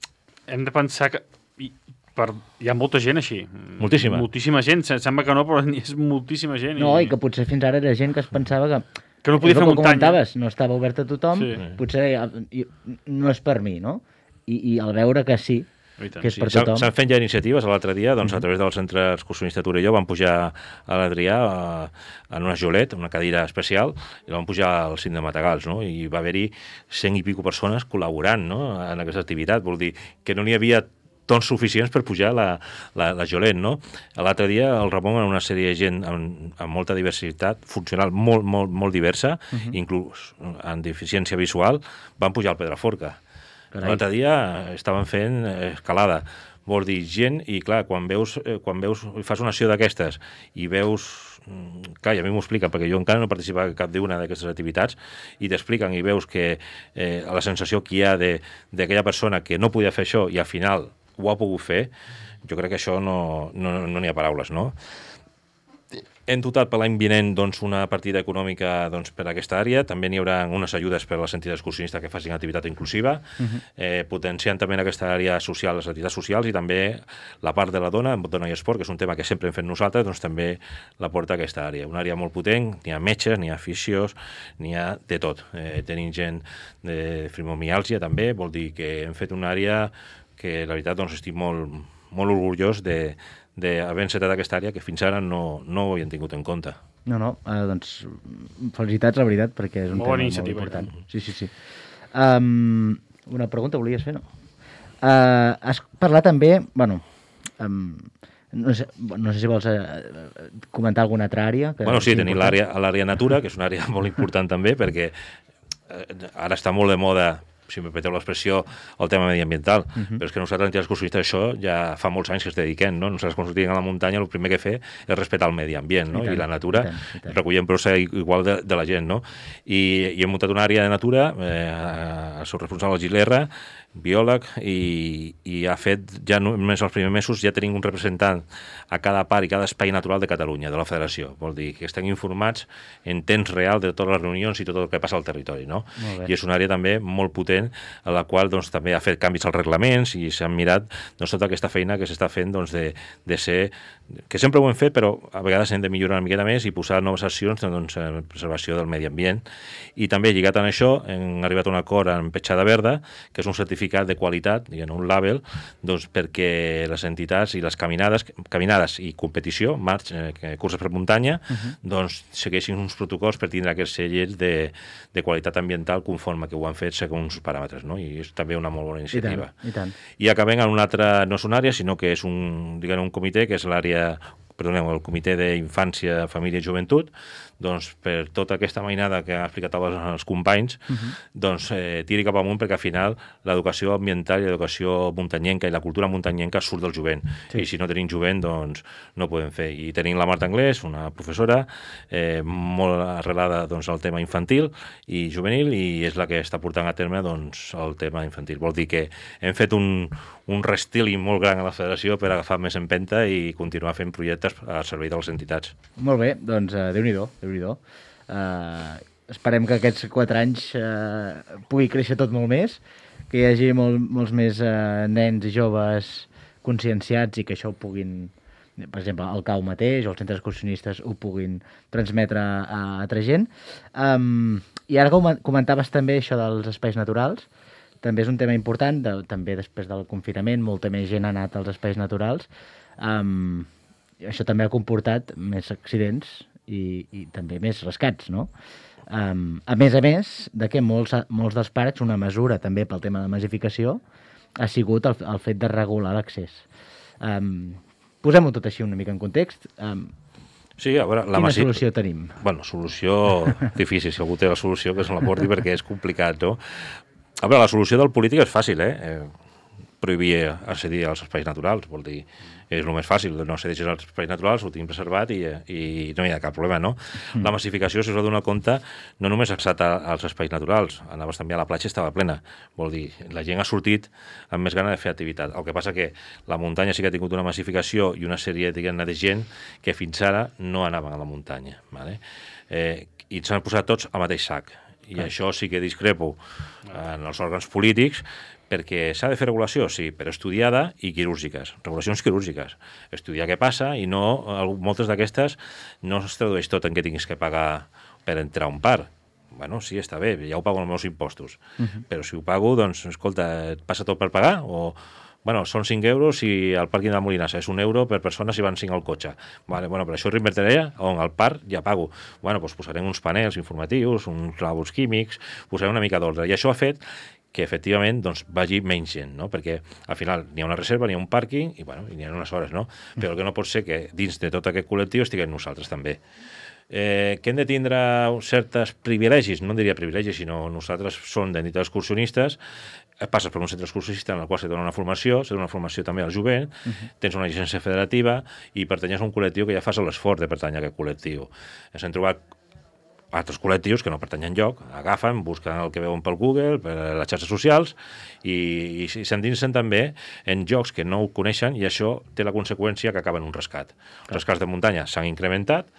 hem de pensar que hi, per, hi ha molta gent així. Moltíssima. Moltíssima gent. Sembla que no, però és moltíssima gent. No, i, i que potser fins ara era gent que es pensava que... Que no podia fer muntanya. No estava obert a tothom, sí. Potser no és per mi, no? I, i al veure que sí, que és sí, per tothom. S'han fet ja iniciatives. L'altre dia, doncs, uh-huh. a través del Centre Excursionista Torelló, vam pujar a l'Adrià en una jolet, una cadira especial, i la vam pujar al cim de Matagals, no? I va haver-hi cent i pico persones col·laborant, no?, en aquesta activitat. Vol dir que no n'hi havia tons suficients per pujar la, la, la jolet, no? L'altre dia el Ramon, en una sèrie de gent amb, amb molta diversitat funcional, molt, molt, molt diversa, uh-huh. inclús amb deficiència visual, van pujar al Pedraforca. L'altre dia estaven fent escalada, vol dir gent, i clar, quan veus, eh, quan veus fas una acció d'aquestes i veus, clar, i a mi m'ho expliquen, perquè jo encara no he participat en cap d'una d'aquestes activitats, i t'expliquen i veus que eh, la sensació que hi ha d'aquella persona que no podia fer això i al final ho ha pogut fer, jo crec que això no n'hi no, no ha paraules, no? Hem dotat per l'any vinent doncs, una partida econòmica doncs, per a aquesta àrea. També n'hi haurà unes ajudes per a les entitats excursionistes que facin activitat inclusiva, uh-huh. eh, potenciant també en aquesta àrea social les activitats socials i també la part de la dona, dona i esport, que és un tema que sempre hem fet nosaltres, doncs també la porta a aquesta àrea. Una àrea molt potent, n'hi ha metges, n'hi ha fisios, n'hi ha de tot. Eh, tenim gent de fibromiàlgia també, vol dir que hem fet una àrea que la veritat doncs, estic molt, molt orgullós de d'haver encetat aquesta àrea que fins ara no, no ho havien tingut en compte. No, no, eh, doncs felicitats, la veritat, perquè és un molt tema molt important. Sí, sí, sí. Um, una pregunta volies fer, no? Uh, has parlat també, bueno, um, no, sé, no sé si vols uh, comentar alguna altra àrea. Que bueno, sí, tenim l'àrea l'àrea natura, que és una àrea molt important també, perquè uh, ara està molt de moda, si me permeteu l'expressió, el tema mediambiental. Uh-huh. Però és que nosaltres, entitats excursionistes, això ja fa molts anys que es dediquem, no? Nosaltres, quan sortim a la muntanya, el primer que fer és respectar el medi ambient, no? I, tant, I la natura, i tant, i tant. Recollem brossa igual de, de la gent, no? I, i hem muntat una àrea de natura, eh, el seu responsable, el Gilerra, biòleg, i, i ha fet, ja només els primers mesos, ja tenim un representant a cada part i cada espai natural de Catalunya, de la Federació. Vol dir que estem informats en temps real de totes les reunions i tot el que passa al territori, no? I és una àrea també molt potent, a la qual doncs, també ha fet canvis als reglaments i s'han mirat doncs, tota aquesta feina que s'està fent doncs, de, de ser, que sempre ho hem fet, però a vegades hem de millorar una miqueta més i posar noves accions doncs, en preservació del medi ambient. I també, lligat amb això, hem arribat a un acord amb Petjada Verda, que és un certificat de qualitat, diguem, un label, doncs, perquè les entitats i les caminades, caminades i competició, marx, eh, curses per muntanya, uh-huh. doncs segueixin uns protocols per tindre aquests sellers de, de qualitat ambiental conforme que ho han fet segons uns paràmetres, no? I és també una molt bona iniciativa. I tant, i tant. I acabem en una altra, no és una àrea, sinó que és un, diguem, un comitè, que és l'àrea, perdoneu, el Comitè d'Infància, Família i Joventut, doncs per tota aquesta mainada que ha explicat els, els companys, uh-huh. doncs eh, tiri cap amunt, perquè al final l'educació ambiental i l'educació muntanyenca i la cultura muntanyenca surt del jovent. Sí. I si no tenim jovent, doncs no podem fer. I tenim la Marta Anglès, una professora eh, molt arrelada doncs, al tema infantil i juvenil, i és la que està portant a terme doncs, el tema infantil. Vol dir que hem fet un, un restyling molt gran a la federació per agafar més empenta i continuar fent projectes al servei de les entitats. Molt bé, doncs uh, Déu-n'hi-do, Déu-n'hi-do. Uh, esperem que aquests quatre anys uh, pugui créixer tot molt més, que hi hagi molt, molts més uh, nens i joves conscienciats i que això ho puguin, per exemple, el C A U mateix o els centres excursionistes ho puguin transmetre a altra gent. Um, I ara que comentaves també això dels espais naturals, també és un tema important, de, també després del confinament, molta més gent ha anat als espais naturals. Um, això també ha comportat més accidents i, i també més rescats, no? Um, a més a més, de que molts, molts dels parcs, una mesura també pel tema de massificació, ha sigut el, el fet de regular l'accés. Um, Posem-ho tot així una mica en context. Um, Sí, a veure, la Quina massi... solució tenim? Bueno, solució difícil, si algú té la solució que se la porti perquè és complicat, no? A veure, la solució del polític és fàcil, eh? eh prohibir accedir als espais naturals, vol dir, és el més fàcil, no accedir als espais naturals, ho tenim preservat i, i no hi ha cap problema, no? Mm. La massificació, si us heu donat compte, no només ha estat als espais naturals, anaves també a la platja, estava plena, vol dir, la gent ha sortit amb més gana de fer activitat. El que passa que la muntanya sí que ha tingut una massificació i una sèrie, diguem-ne, de gent que fins ara no anaven a la muntanya, ¿vale? Eh, i s'han posat tots al mateix sac. I ah. això sí que discrepo en els òrgans polítics, perquè s'ha de fer regulació, sí, però estudiada i quirúrgiques, regulacions quirúrgiques. Estudiar què passa i no, moltes d'aquestes no es tradueix tot en què tinguis que pagar per entrar a un parc. Bueno, sí, està bé, ja ho pago amb els meus impostos, uh-huh. però si ho pago, doncs, escolta, et passa tot per pagar o... Bueno, són cinc euros i al pàrquing de la Molinassa és un euro per persona si van cinc al cotxe. Vale, bueno, però això ho reinvertiré on al parc ja pago. Bueno, doncs posarem uns panels informatius, uns lavabos químics, posarem una mica d'ordre. I això ha fet que efectivament doncs, vagi menys gent, no? Perquè al final n'hi ha una reserva, n'hi ha un pàrquing i, bueno, i n'hi ha unes hores, no? Però el que no pot ser que dins de tot aquest col·lectiu estiguem nosaltres també. Eh, que hem de tindre certes privilegis, no en diria privilegis, sinó nosaltres som d'entitats excursionistes, passes per un centre excursionista en el qual se dona una formació, se dona una formació també al jovent, uh -huh. tens una llicència federativa i pertanyes a un col·lectiu que ja fas l'esforç de pertanyar a aquest col·lectiu. Ens hem trobat altres col·lectius que no pertanyen lloc, agafen, busquen el que veuen pel Google, per les xarxes socials, i, i s'endinsen també en jocs que no ho coneixen, i això té la conseqüència que acaben un rescat. Els rescats de muntanya s'han incrementat,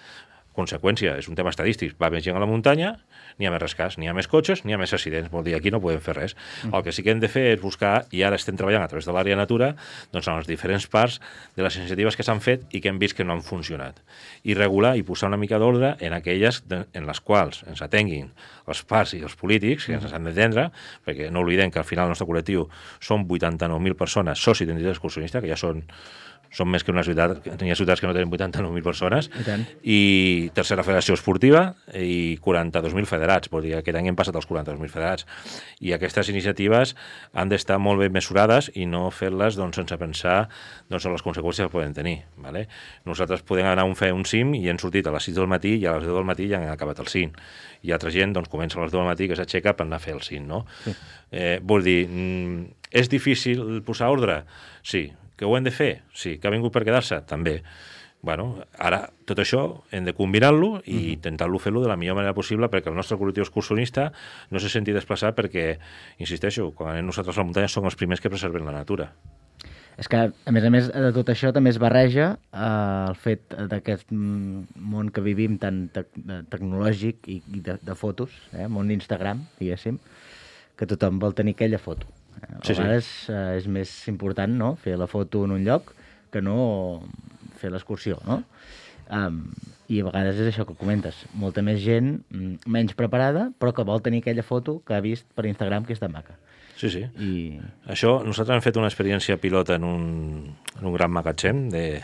conseqüència, és un tema estadístic, va més gent a la muntanya, n'hi ha més rescats, n'hi ha més cotxes, n'hi ha més accidents, vol dir, aquí no podem fer res. Mm. El que sí que hem de fer és buscar, i ara estem treballant a través de l'àrea natura, doncs en les diferents parts de les iniciatives que s'han fet i que hem vist que no han funcionat. I regular i posar una mica d'ordre en aquelles de, en les quals ens atenguin els parts i els polítics, que ens han d'entendre, perquè no oblidem que al final el nostre col·lectiu són vuitanta-nou mil persones socis d'entitats excursionistes, que ja són són més que una ciutat, hi ha ciutats que no tenen vuitanta-nou mil persones, i, i tercera federació esportiva i quaranta-dos mil federats, vol dir, aquest any hem passat els quaranta-dos mil federats, i aquestes iniciatives han d'estar molt ben mesurades i no fer-les doncs, sense pensar doncs, en les conseqüències que poden tenir. Vale? Nosaltres podem anar a fer un cim i hem sortit a les sis del matí i a les deu del matí ja han acabat el cim, i altra gent doncs, comença a les deu del matí que s'aixeca per anar a fer el cim, no? Sí. Eh, vol dir, és difícil posar ordre? Sí. Que ho hem de fer? Sí. Que ha vingut per quedar-se? També. Bueno, ara, tot això hem de combinar-lo i mm. intentar-lo fer-lo de la millor manera possible perquè el nostre col·lectiu excursionista no se senti desplaçat perquè, insisteixo, quan anem nosaltres a la muntanya som els primers que preserven la natura. És que, a més a més de tot això, també es barreja eh, el fet d'aquest món que vivim tan te tecnològic i, i de, de fotos, eh, món d'Instagram, diguéssim, que tothom vol tenir aquella foto. A sí, vegades sí. eh, és més important, no?, fer la foto en un lloc que no fer l'excursió, no? Um, I a vegades és això que comentes. Molta més gent menys preparada, però que vol tenir aquella foto que ha vist per Instagram que és tan maca. Sí, sí. I... Això, nosaltres hem fet una experiència pilota en un, en un gran magatzem de,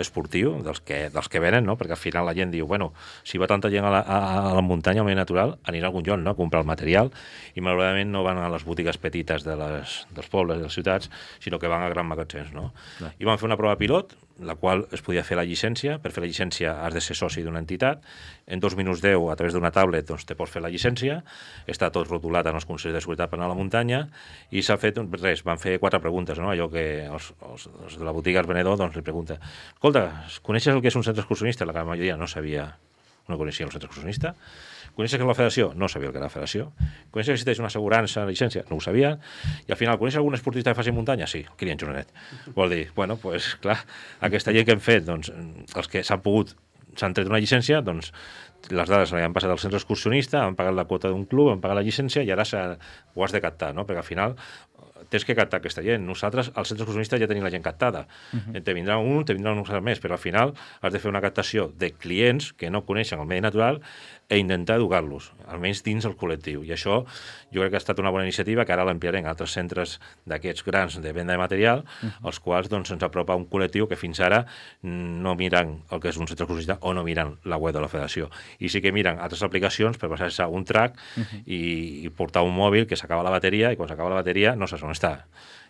esportiu, dels que, dels que venen, no? Perquè al final la gent diu, bueno, si va tanta gent a la, a, a la muntanya, al medi natural, anirà a algun lloc, no?, a comprar el material, i malauradament no van a les botigues petites de les, dels pobles i de les ciutats, sinó que van a grans magatzems, no? Clar. I vam fer una prova pilot, la qual es podia fer la llicència. Per fer la llicència has de ser soci d'una entitat. En dos minuts deu, a través d'una tablet, doncs, te pots fer la llicència. Està tot rotulat en els consells de seguretat per anar a la muntanya, i s'ha fet, res, van fer quatre preguntes, no? Allò que els, els, els de la botiga, el venedor, doncs li pregunta, escolta, coneixes el que és un centre excursionista? La gran majoria no sabia, no coneixia el centre excursionista. Coneixes que és la federació? No sabia el que era la federació. Coneixes que existeix una assegurança, una llicència? No ho sabia. I al final, coneixes algun esportista que faci muntanya? Sí, el Kilian Jornet. Vol dir, bueno, doncs, pues, clar, aquesta llei que hem fet, doncs, els que s'han pogut, s'han tret una llicència, doncs, les dades han passat al centre excursionista, han pagat la quota d'un club, han pagat la llicència i ara ho has de captar, no? Perquè al final tens que captar aquesta gent. Nosaltres, al centre excursionista, ja tenim la gent captada. Uh-huh. Te vindrà un, te vindrà un més, però al final has de fer una captació de clients que no coneixen el medi natural e intentar educar-los, almenys dins el col·lectiu. I això jo crec que ha estat una bona iniciativa, que ara l'ampliarem a altres centres d'aquests grans de venda de material, uh-huh. els quals doncs, ens apropa un col·lectiu que fins ara no miren el que és un centre excursionista o no miren la web de la federació. I sí que miren altres aplicacions per passar-se a un track uh-huh. i, i portar un mòbil que s'acaba la bateria, i quan s'acaba la bateria no saps on està.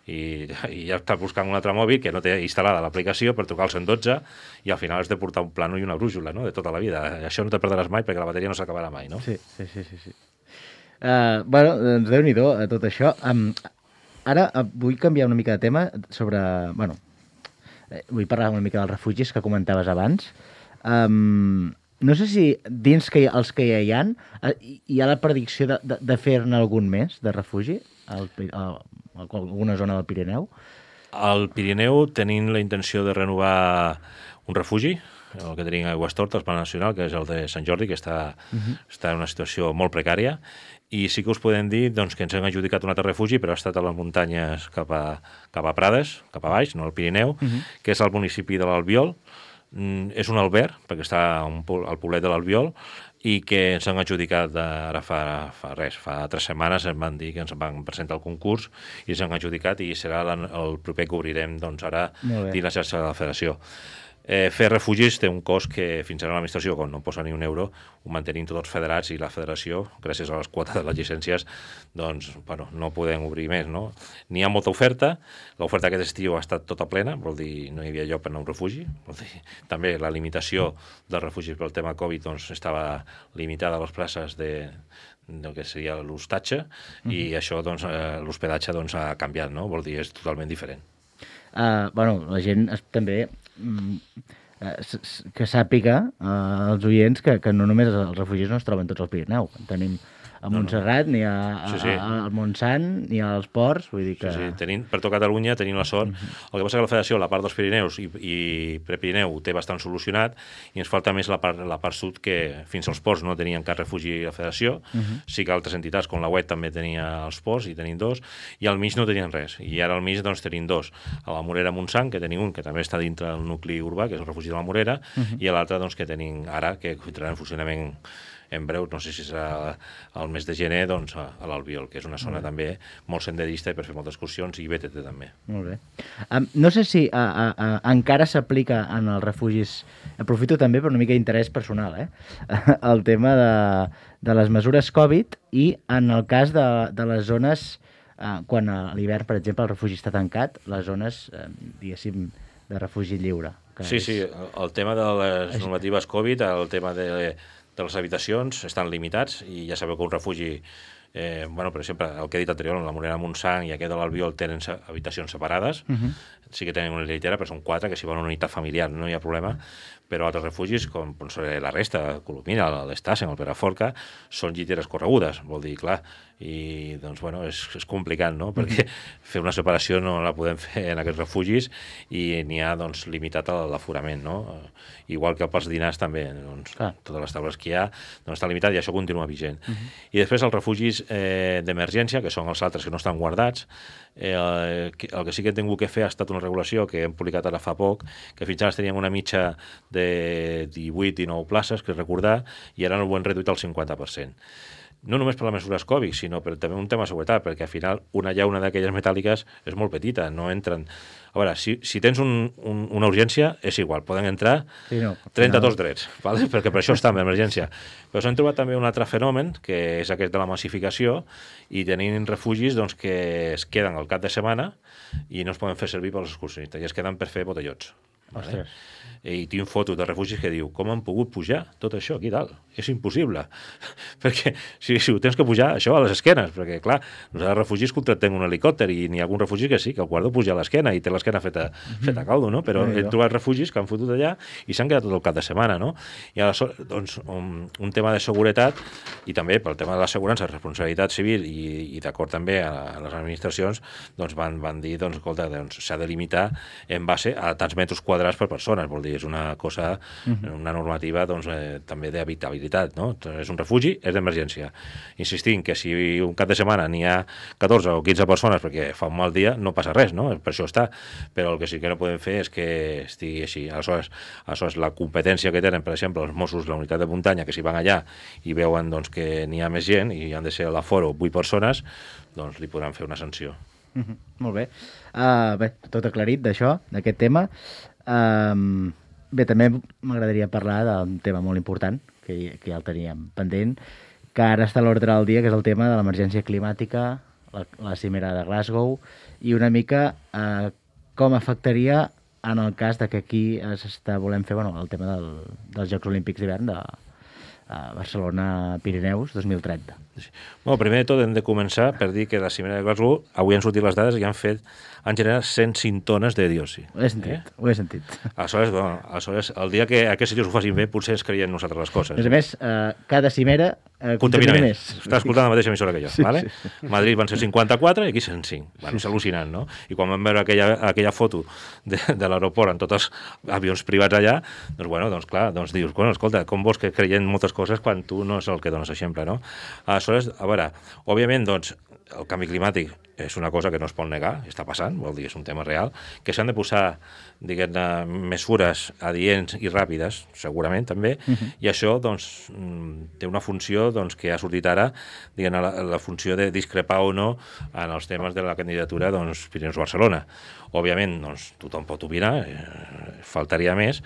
I, i ja estàs buscant un altre mòbil que no té instal·lada l'aplicació per trucar al cent dotze i al final has de portar un plano i una brújula, no?, de tota la vida. Això no te perdràs mai perquè la bateria no s'acabarà mai, no? Sí, sí, sí. sí, sí. Uh, bueno, doncs Déu-n'hi-do a tot això. Um, ara uh, vull canviar una mica de tema sobre... Bueno, eh, vull parlar una mica dels refugis que comentaves abans. Um, no sé si dins que hi, els que ja hi ha, uh, hi ha la predicció de, de, de fer-ne algun més de refugi al, al, a alguna zona del Pirineu? Al Pirineu tenim la intenció de renovar un refugi, el que tenim a Aigüestortes, el Pla Nacional, que és el de Sant Jordi, que està, uh-huh. està en una situació molt precària, i sí que us podem dir doncs, que ens hem adjudicat un altre refugi, però ha estat a les muntanyes cap a, cap a Prades, cap a baix, no al Pirineu, uh-huh. que és el municipi de l'Albiol. Mm, és un alberg, perquè està un, al poblet de l'Albiol, i que ens han adjudicat ara fa, fa res, fa tres setmanes ens van dir que ens van presentar el concurs i ens han adjudicat i serà el proper que obrirem doncs, ara dins la xarxa de la federació. Eh, fer refugis té un cost que fins ara l'administració, quan no posa ni un euro, ho mantenim tots federats i la federació, gràcies a les quotes de les llicències, doncs, bueno, no podem obrir més, no? N'hi ha molta oferta, l'oferta aquest estiu ha estat tota plena, vol dir, no hi havia lloc per anar a un refugi, vol dir, també la limitació dels refugis pel tema Covid, doncs, estava limitada a les places de, del que seria l'hostatge, mm-hmm. i això, doncs, eh, l'hospedatge, doncs, ha canviat, no? Vol dir, és totalment diferent. Uh, bueno, la gent es, també mm, uh, s, s, que sàpiga uh, els oients que, que no només els refugis no es troben tots al Pirineu. En tenim a Montserrat, no, no. ni a, a, sí, sí. al Montsant, ni als ports, vull dir que... Sí, sí. Tenim, per tot Catalunya tenim la sort. Mm-hmm. El que passa que la Federació, la part dels Pirineus i, i Prepirineu ho té bastant solucionat i ens falta més la part, la part sud, que fins als ports no tenien cap refugi a la Federació. Mm-hmm. Sí que altres entitats, com la U E T, també tenia els ports, i tenim dos, i al mig no tenien res. I ara al mig doncs, tenim dos. A la Morera Montsant, que tenim un, que també està dintre del nucli urbà, que és el refugi de la Morera, mm-hmm. i l'altre doncs, que tenim ara, que entrarà en funcionament en breu, no sé si serà el mes de gener, doncs a l'Albiol, que és una zona també molt senderista i per fer moltes excursions, i B T T també. Molt bé. Um, no sé si a, a, a, encara s'aplica en els refugis, aprofito també per una mica d'interès personal, eh? el tema de, de les mesures Covid i en el cas de, de les zones, uh, quan a l'hivern, per exemple, el refugi està tancat, les zones, uh, diguéssim, de refugi lliure. Sí, és... sí, el tema de les normatives Covid, el tema de... de les habitacions estan limitats i ja sabeu que un refugi, eh, bueno, per exemple, el que he dit anterior, la Morera Montsant i aquest de l'Albiol tenen habitacions separades, uh-huh. sí que tenen una llitera, però són quatre, que si van a una unitat familiar no hi ha problema, però altres refugis, com la resta, Colomina, l'Estasen, el Perafolca, són lliteres corregudes, vol dir, clar, i doncs, bueno, és, és complicat, no?, perquè fer una separació no la podem fer en aquests refugis i n'hi ha, doncs, limitat l'aforament, no? Igual que pels dinars també, doncs, ah. totes les taules que hi ha, doncs està limitat i això continua vigent. Uh -huh. I després els refugis eh, d'emergència, que són els altres que no estan guardats, eh, el, el que sí que hem tingut que fer ha estat una regulació que hem publicat ara fa poc, que fins ara teníem una mitja de divuit dinou places, que recordar, i ara ho hem reduït al cinquanta per cent. No només per les mesures Covid, sinó per també un tema de seguretat, perquè al final una llauna d'aquelles metàl·liques és molt petita, no entren... A veure, si, si tens un, un, una urgència, és igual, poden entrar sí, no, trenta-dos no. drets, ¿vale? Perquè per això està en emergència. Però s'han trobat també un altre fenomen, que és aquest de la massificació, i tenim refugis doncs, que es queden al cap de setmana i no es poden fer servir pels excursionistes, i es queden per fer botellots. Vale? I tinc fotos de refugis que diu com han pogut pujar tot això aquí dalt? És impossible. Perquè si, si ho tens que pujar, això a les esquenes, perquè clar, nosaltres refugis contractem un helicòpter i n'hi ha algun refugi que sí, que el guardo puja a l'esquena i té l'esquena feta, mm-hmm. feta caldo, no? Però sí, he trobat refugis que han fotut allà i s'han quedat tot el cap de setmana, no? I aleshores, doncs, un, un tema de seguretat i també pel tema de l'assegurança, responsabilitat civil i, i d'acord també a, a les administracions, doncs van, van dir, doncs, escolta, doncs, s'ha de limitar en base a tants metres quadrats per persones, vol dir, és una cosa, una normativa doncs, eh, també d'habitabilitat, no? És un refugi, és d'emergència. Insistint que si un cap de setmana n'hi ha catorze o quinze persones perquè fa un mal dia, no passa res, no? Per això està. Però el que sí que no podem fer és que estigui així. Aleshores, aleshores la competència que tenen, per exemple, els Mossos, la unitat de muntanya, que si van allà i veuen doncs, que n'hi ha més gent i han de ser a l'aforo vuit persones, doncs li podran fer una sanció. Mm-hmm. Molt bé. Uh, bé, tot aclarit d'això, d'aquest tema. Um, bé, també m'agradaria parlar d'un tema molt important, que, que ja el teníem pendent, que ara està a l'ordre del dia, que és el tema de l'emergència climàtica, la, la cimera de Glasgow, i una mica eh, com afectaria en el cas de que aquí s'està volent fer bueno, el tema del, dels Jocs Olímpics d'hivern de uh, Barcelona-Pirineus dos mil trenta. Sí. Bueno, primer de tot hem de començar per dir que la cimera de Glasgow, avui han sortit les dades i han fet, han generat cent cinc tones de diòxid. Ho he sentit, eh? ho he sentit. Aleshores, bueno, aleshores, el dia que aquests senyors ho facin bé, potser ens creiem nosaltres les coses. A més a més, eh, cada cimera eh, contamina més. Està escoltant la mateixa emissora que jo, sí, vale? Sí, sí. Madrid van ser cinquanta-quatre i aquí cent cinc. Bueno, és al·lucinant, no? I quan vam veure aquella, aquella foto de, de l'aeroport amb tots els avions privats allà, doncs, bueno, doncs clar, doncs dius, bueno, escolta, com vols que creiem moltes coses quan tu no és el que dones exemple, no? Aleshores, a veure, òbviament, doncs, el canvi climàtic és una cosa que no es pot negar, està passant, vol dir, és un tema real, que s'han de posar, diguem-ne, mesures adients i ràpides, segurament també, uh-huh. i això, doncs, té una funció doncs, que ha sortit ara, diguem-ne, la, la funció de discrepar o no en els temes de la candidatura, doncs, Pirineus-Barcelona. Òbviament, doncs, tothom pot opinar, eh, faltaria més.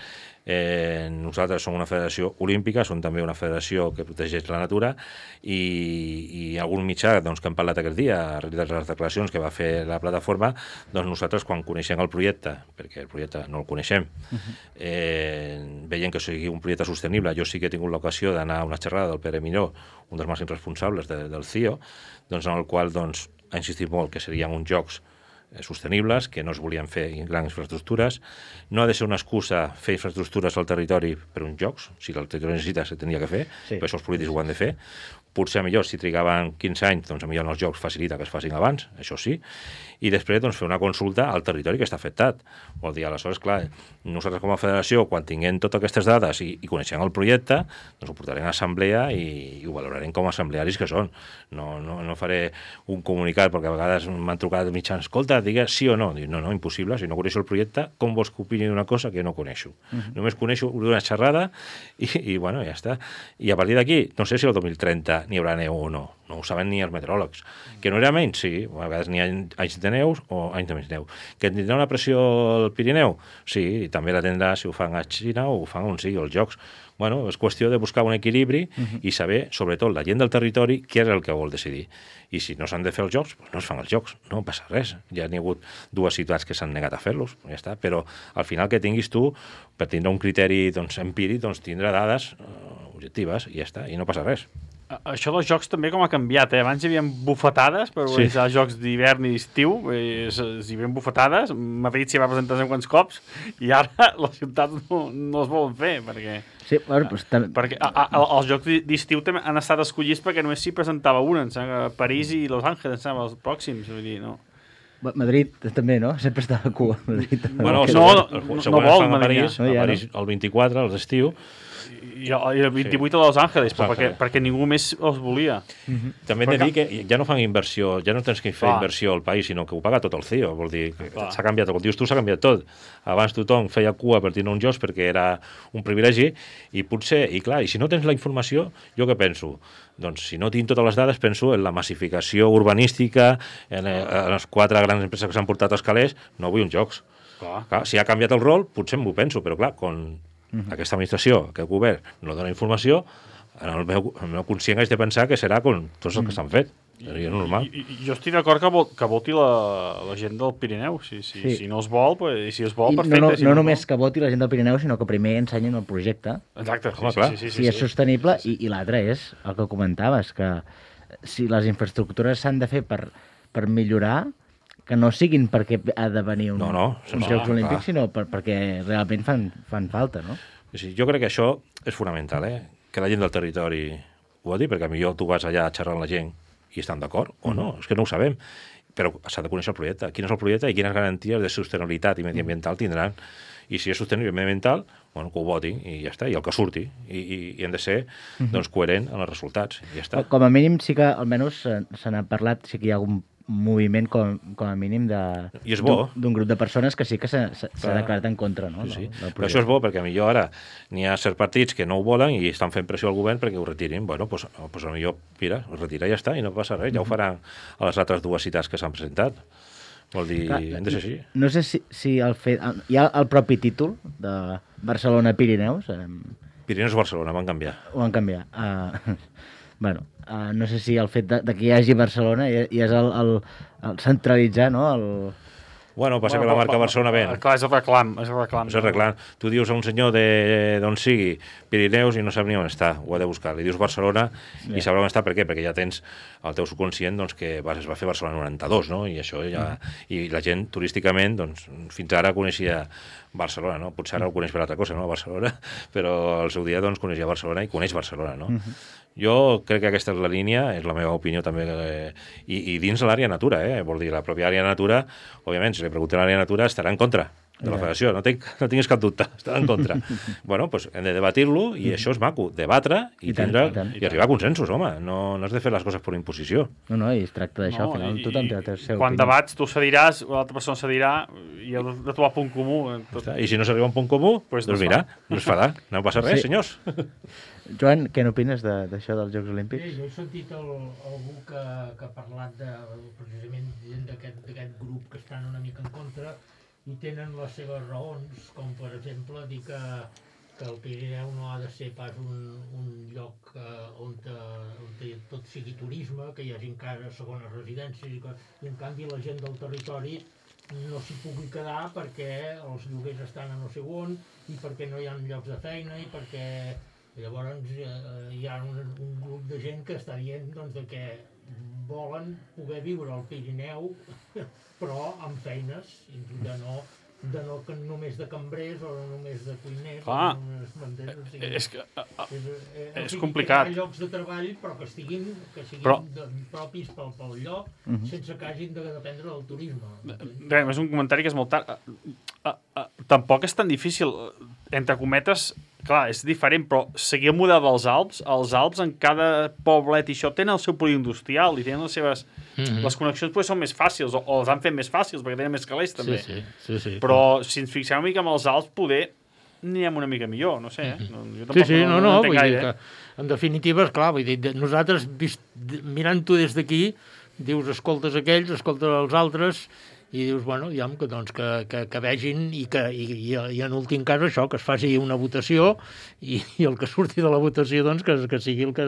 Eh, nosaltres som una federació olímpica, som també una federació que protegeix la natura i, i algun mitjà doncs, que hem parlat aquest dia, darrere de les declaracions que va fer la plataforma, doncs nosaltres quan coneixem el projecte, perquè el projecte no el coneixem, eh, veient que sigui un projecte sostenible, jo sí que he tingut l'ocasió d'anar a una xerrada del Pere Miró, un dels màxims responsables de, del C I O, doncs, en el qual doncs, ha insistit molt que serien uns jocs sostenibles, que no es volien fer grans infraestructures. No ha de ser una excusa fer infraestructures al territori per uns jocs. Si el territori necessita, se tenia que fer, sí. Per això els polítics ho han de fer. Potser millor, si trigaven quinze anys, doncs millor en els jocs facilita que es facin abans, això sí, i després doncs, fer una consulta al territori que està afectat. Vol dir, aleshores, clar, nosaltres com a federació, quan tinguem totes aquestes dades i, i coneixem el projecte, doncs ho portarem a assemblea i, i ho valorarem com a assemblearis que són. No, no, no faré un comunicat, perquè a vegades m'han trucat mitjans, escolta, digues sí o no. Dic, no, no, impossible, si no coneixo el projecte, com vols que opini d'una cosa que no coneixo? Uh-huh. Només coneixo d'una xerrada i, i, bueno, ja està. I a partir d'aquí, no sé si el dos mil trenta n'hi haurà neu o no. No ho saben ni els meteoròlegs. Que no era menys, sí. A vegades n'hi ha anys de neu o anys de menys neu. Que tindrà una pressió al Pirineu? Sí, i també la tindrà si ho fan a Xina o ho fan on sigui, els jocs. Bueno, és qüestió de buscar un equilibri uh-huh. i saber, sobretot, la gent del territori, què és el que vol decidir. I si no s'han de fer els jocs, doncs no es fan els jocs. No passa res. Ja n'hi ha hagut dues ciutats que s'han negat a fer-los, ja està. Però al final que tinguis tu, per tindre un criteri doncs, empíric, doncs tindrà dades uh, objectives i ja està, i no passa res. Això dels jocs també com ha canviat, eh? Abans hi havia bufetades per organitzar sí. jocs d'hivern i d'estiu, hi havia bufetades, Madrid s'hi va presentar uns quants cops, i ara les ciutats no, no es volen fer, perquè... Sí, bueno, doncs, també... perquè a, a, els jocs d'estiu també han estat escollits perquè només s'hi presentava una, em sembla, París i Los Angeles, em sembla, els pròxims, vull dir, no... Madrid també, no? Sempre està a cua. Madrid, bueno, no, no, no, no vol a París, no, a París el vint-i-quatre, a l'estiu, i el vint-i-vuit sí. a Los Angeles, però perquè, perquè ningú més els volia. Mm-hmm. També hem de dir que ja no fan inversió, ja no tens que fer Clar. inversió al país, sinó que ho paga tot el C I O. Vol dir, s'ha canviat, com dius tu, s'ha canviat tot. Abans tothom feia cua per tindre uns jocs perquè era un privilegi, i potser, i clar, i si no tens la informació, jo què penso? Doncs si no tinc totes les dades, penso en la massificació urbanística, en, en les quatre grans empreses que s'han portat als calés, no vull uns jocs. Clar. Clar, si ha canviat el rol, potser m'ho penso, però clar, quan Uh-huh. aquesta administració, aquest govern, no dona informació, en el meu, el meu conscient haig de pensar que serà com tots els que s'han fet. Seria normal. I, i, jo estic d'acord que, vol, que voti la, la gent del Pirineu. Si, si, sí. si no es vol, pues, i si es vol, I perfecte. No, no, si no, no només vol. Que voti la gent del Pirineu, sinó que primer ensenyen el projecte. Exacte. Home, clar. Sí, sí, sí, si sí, és sí. sostenible, sí, sí. i, i l'altre és el que comentaves, que si les infraestructures s'han de fer per, per millorar, que no siguin perquè ha de venir un, no, no, uns Jocs Olímpics, sinó per, perquè realment fan, fan falta, no? Sí, jo crec que això és fonamental, eh? Que la gent del territori ho ha dit, perquè millor tu vas allà a xerrar amb la gent i estan d'acord, o no, és que no ho sabem. Però s'ha de conèixer el projecte. Quin és el projecte i quines garanties de sostenibilitat i mediambiental tindran. I si és sostenible i mediambiental, bueno, que ho votin i ja està, i el que surti. I, i, i hem de ser doncs, coherent en els resultats. I ja està. Com a mínim sí que almenys se n'ha parlat, sí que hi ha algun moviment com, com a mínim d'un grup de persones que sí que s'ha declarat en contra, no? Sí, sí. Del, del Però això és bo, perquè millor ara n'hi ha certs partits que no ho volen i estan fent pressió al govern perquè ho retirin. Bueno, doncs, pues, millor, mira, ho retira i ja està, i no passa res. Ja ho faran a les altres dues citats que s'han presentat. Vol dir, Clar, hem de ser així. No sé si, si el fet... Hi ha el propi títol de Barcelona-Pirineus. Pirineus-Barcelona, van canviar. Ho van canviar. Uh, bueno, uh, no sé si el fet de, de que hi hagi Barcelona i, i és el, el, el centralitzar, no?, el... Bueno, passa bueno, que la marca Barcelona ven. Clar, és el reclam. És el reclam. És el reclam. Tu dius a un senyor d'on sigui Pirineus i no sap ni on està, ho ha de buscar. Li dius Barcelona yeah. i sabrà on està. Per què? Perquè ja tens el teu subconscient doncs, que es va fer Barcelona noranta-dos, no? I això ja... Mm. I la gent, turísticament, doncs, fins ara coneixia Barcelona, no? Potser ara ho coneix per altra cosa, no? Barcelona, però al seu dia doncs, coneixia Barcelona i coneix Barcelona, no? Mm-hmm. Jo crec que aquesta és la línia, és la meva opinió també, eh, i, i dins l'àrea natura, eh? Vol dir, la pròpia àrea natura, òbviament, si li preguntem a l'àrea natura, estarà en contra de la federació, no, tinc, no tinguis cap dubte, estarà en contra. Bueno, doncs hem de debatir-lo, i això és maco, debatre i, I, tant, tindre, i, tant. i arribar a consensos, home, no, no has de fer les coses per imposició. No, no, i es tracta d'això, no, al final tothom té el seu quan opinió. Debats, tu cediràs, l'altra persona cedirà, i heu de trobar punt comú. Tot. I si no s'arriba a un punt comú, pues doncs no mira, no es farà, no passa res, sí. senyors. Joan, què n'opines d'això dels Jocs Olímpics? Sí, jo he sentit el, algú que, que ha parlat de, precisament d'aquest grup que estan una mica en contra, i tenen les seves raons, com per exemple dir que, que el Pirineu no ha de ser pas un, un lloc eh, on, te, on te, tot sigui turisme, que hi hagi encara segones residències, i, que, i en canvi la gent del territori no s'hi pugui quedar perquè els lloguers estan a no sé on i perquè no hi ha llocs de feina i perquè llavors eh, hi ha un, un grup de gent que està dient doncs, de que volen poder viure al Pirineu però amb feines i de no, de no que només de cambrers o només de cuiners. Clar, o només, m'entens? O sigui, és que a, a, és, eh, és sigui, complicat. Hi ha llocs de treball però que estiguin, que siguin Però- de, propis pel, pel lloc Mhm. uh-huh. sense que hagin de dependre del turisme. Bé, és un comentari que és molt tard. Uh, uh, uh, tampoc és tan difícil, entre cometes, clar, és diferent, però seguir el model dels Alps, els Alps en cada poblet i això tenen el seu polígon industrial i tenen les seves... Mhm. Les connexions potser són més fàcils, o, o les han fet més fàcils, perquè tenen més calés, també. Sí, sí, sí, sí. Però si ens fixem una mica amb els Alps, poder anirem una mica millor, no sé, eh? No, jo Sí, tampoc sí, no, no, entenc vull dir gaire, que, eh? en definitiva, esclar, vull dir, de- nosaltres, vist, de- mirant-ho des d'aquí, dius, escoltes aquells, escoltes els altres, i dius, bueno, ja, que, doncs, que, que, que vegin i, que, i, i, i en últim cas això, que es faci una votació i, i el que surti de la votació, doncs, que, que sigui el que,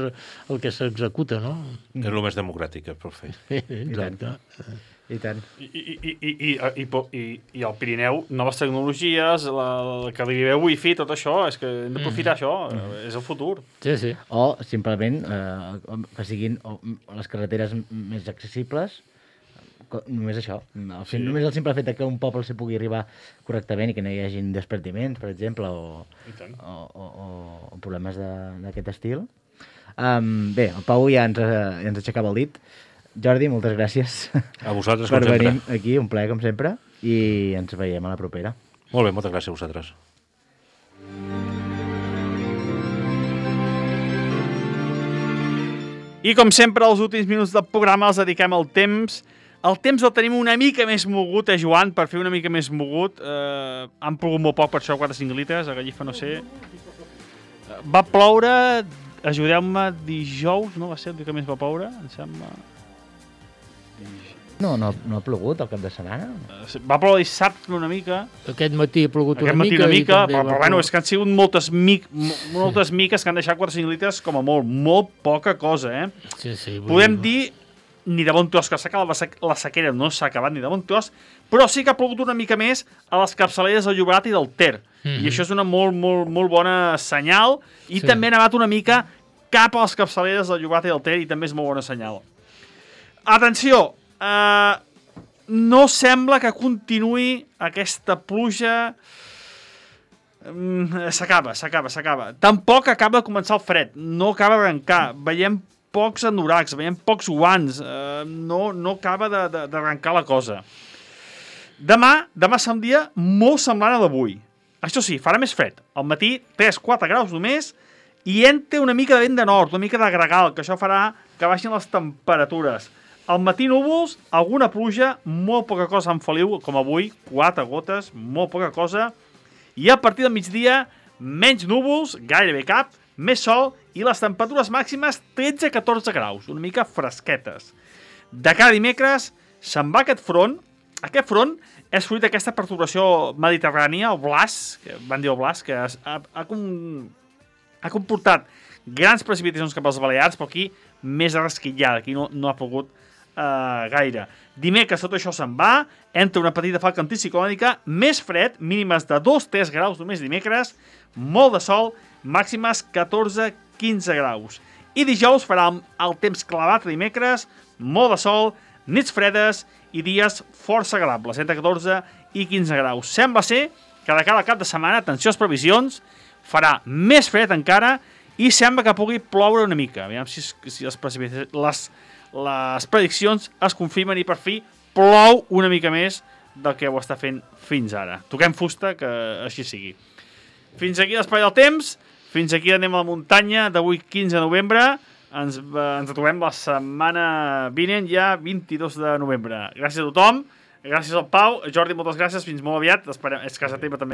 el que s'executa, no? És el més democràtic que es pot fer. Exacte. I tant. I, i, i, i, i, i, i, i al Pirineu, noves tecnologies, la, la que li ve wifi, tot això, és que hem d'aprofitar això, eh, és el futur. Sí, sí. O, simplement, eh, que siguin o, les carreteres m- més accessibles, co- només això. El, sí. Només el simple fet que un poble s'hi pugui arribar correctament i que no hi hagin despertiments, per exemple, o, I tant. o, o, o, o problemes de- d'aquest estil. Um, bé, el Pau ja ens, eh, ja ens aixecava el dit. Jordi, moltes gràcies A vosaltres, per com sempre. venir aquí, un plaer com sempre, i ens veiem a la propera. Molt bé, moltes gràcies a vosaltres. I com sempre, els últims minuts del programa els dediquem al temps. El temps el tenim una mica més mogut, eh, Joan, per fer una mica més mogut. Eh, han plogut molt poc, per això quatre cinc litres, a Gallifa no sé. Eh, Va ploure, ajudeu-me, dijous, no va ser el dia que més va ploure, em sembla. No, no, no ha plogut el cap de setmana? Eh, Va ploure dissabte una mica. Aquest matí ha plogut Aquest una matí mica. una i mica, també però, va però bueno, ploure. és que han sigut moltes, mic, mo- moltes miques que han deixat quatre cinc litres com a molt, molt poca cosa, eh? Sí, sí, vull Podem dir, ni de bon tros, que s'ha acabat la, sec la sequera, no s'ha acabat ni de bon tros, però sí que ha plogut una mica més a les capçaleres del Llobregat i del Ter. Mhm. I això és una molt, molt, molt bona senyal. I Sí. també ha nevat una mica cap a les capçaleres del Llobregat i del Ter, i també és molt bona senyal. Atenció, eh, no sembla que continuï aquesta pluja. Mm, S'acaba, s'acaba, s'acaba. Tampoc acaba de començar el fred, no acaba d'arrencar. Veiem pocs anoracs, veiem pocs guants, eh, no, no acaba de- de- d'arrencar la cosa. Demà, demà serà un dia molt semblant a d'avui. Això sí, farà més fred. Al matí, tres quatre graus només, i entra una mica de vent de nord, una mica de gregal, que això farà que baixin les temperatures. Al matí núvols, alguna pluja, molt poca cosa en Feliu, com avui, quatre gotes, molt poca cosa. I a partir del migdia, menys núvols, gairebé cap, més sol i les temperatures màximes tretze a catorze graus, una mica fresquetes. De cada dimecres se'n va aquest front. Aquest front és fruit d'aquesta perturbació mediterrània, el Blas, que van dir el Blas, que es, ha, ha, com, ha comportat grans precipitacions cap als Balears, però aquí més rasquillada, aquí no, no ha pogut uh, gaire. Dimecres tot això se'n va, entra una petita falca anticiclònica, més fred, mínimes de dos a tres graus només dimecres, molt de sol, màximes catorze a quinze graus. I dijous farà el temps clavat dimecres, molt de sol, nits fredes i dies força agradables, entre catorze i quinze graus. Sembla ser que de cara al cap de setmana, atenció a les previsions, farà més fred encara i sembla que pugui ploure una mica. Aviam si, si les, les, les prediccions es confirmen i per fi plou una mica més del que ho està fent fins ara. Toquem fusta, que així sigui. Fins aquí l'espai del temps, fins aquí anem a la muntanya d'avui quinze de novembre. Ens, eh, ens trobem la setmana vinent, ja vint-i-dos de novembre. Gràcies a tothom, gràcies al Pau. Jordi, moltes gràcies, fins molt aviat. Esperem, és casa teva també.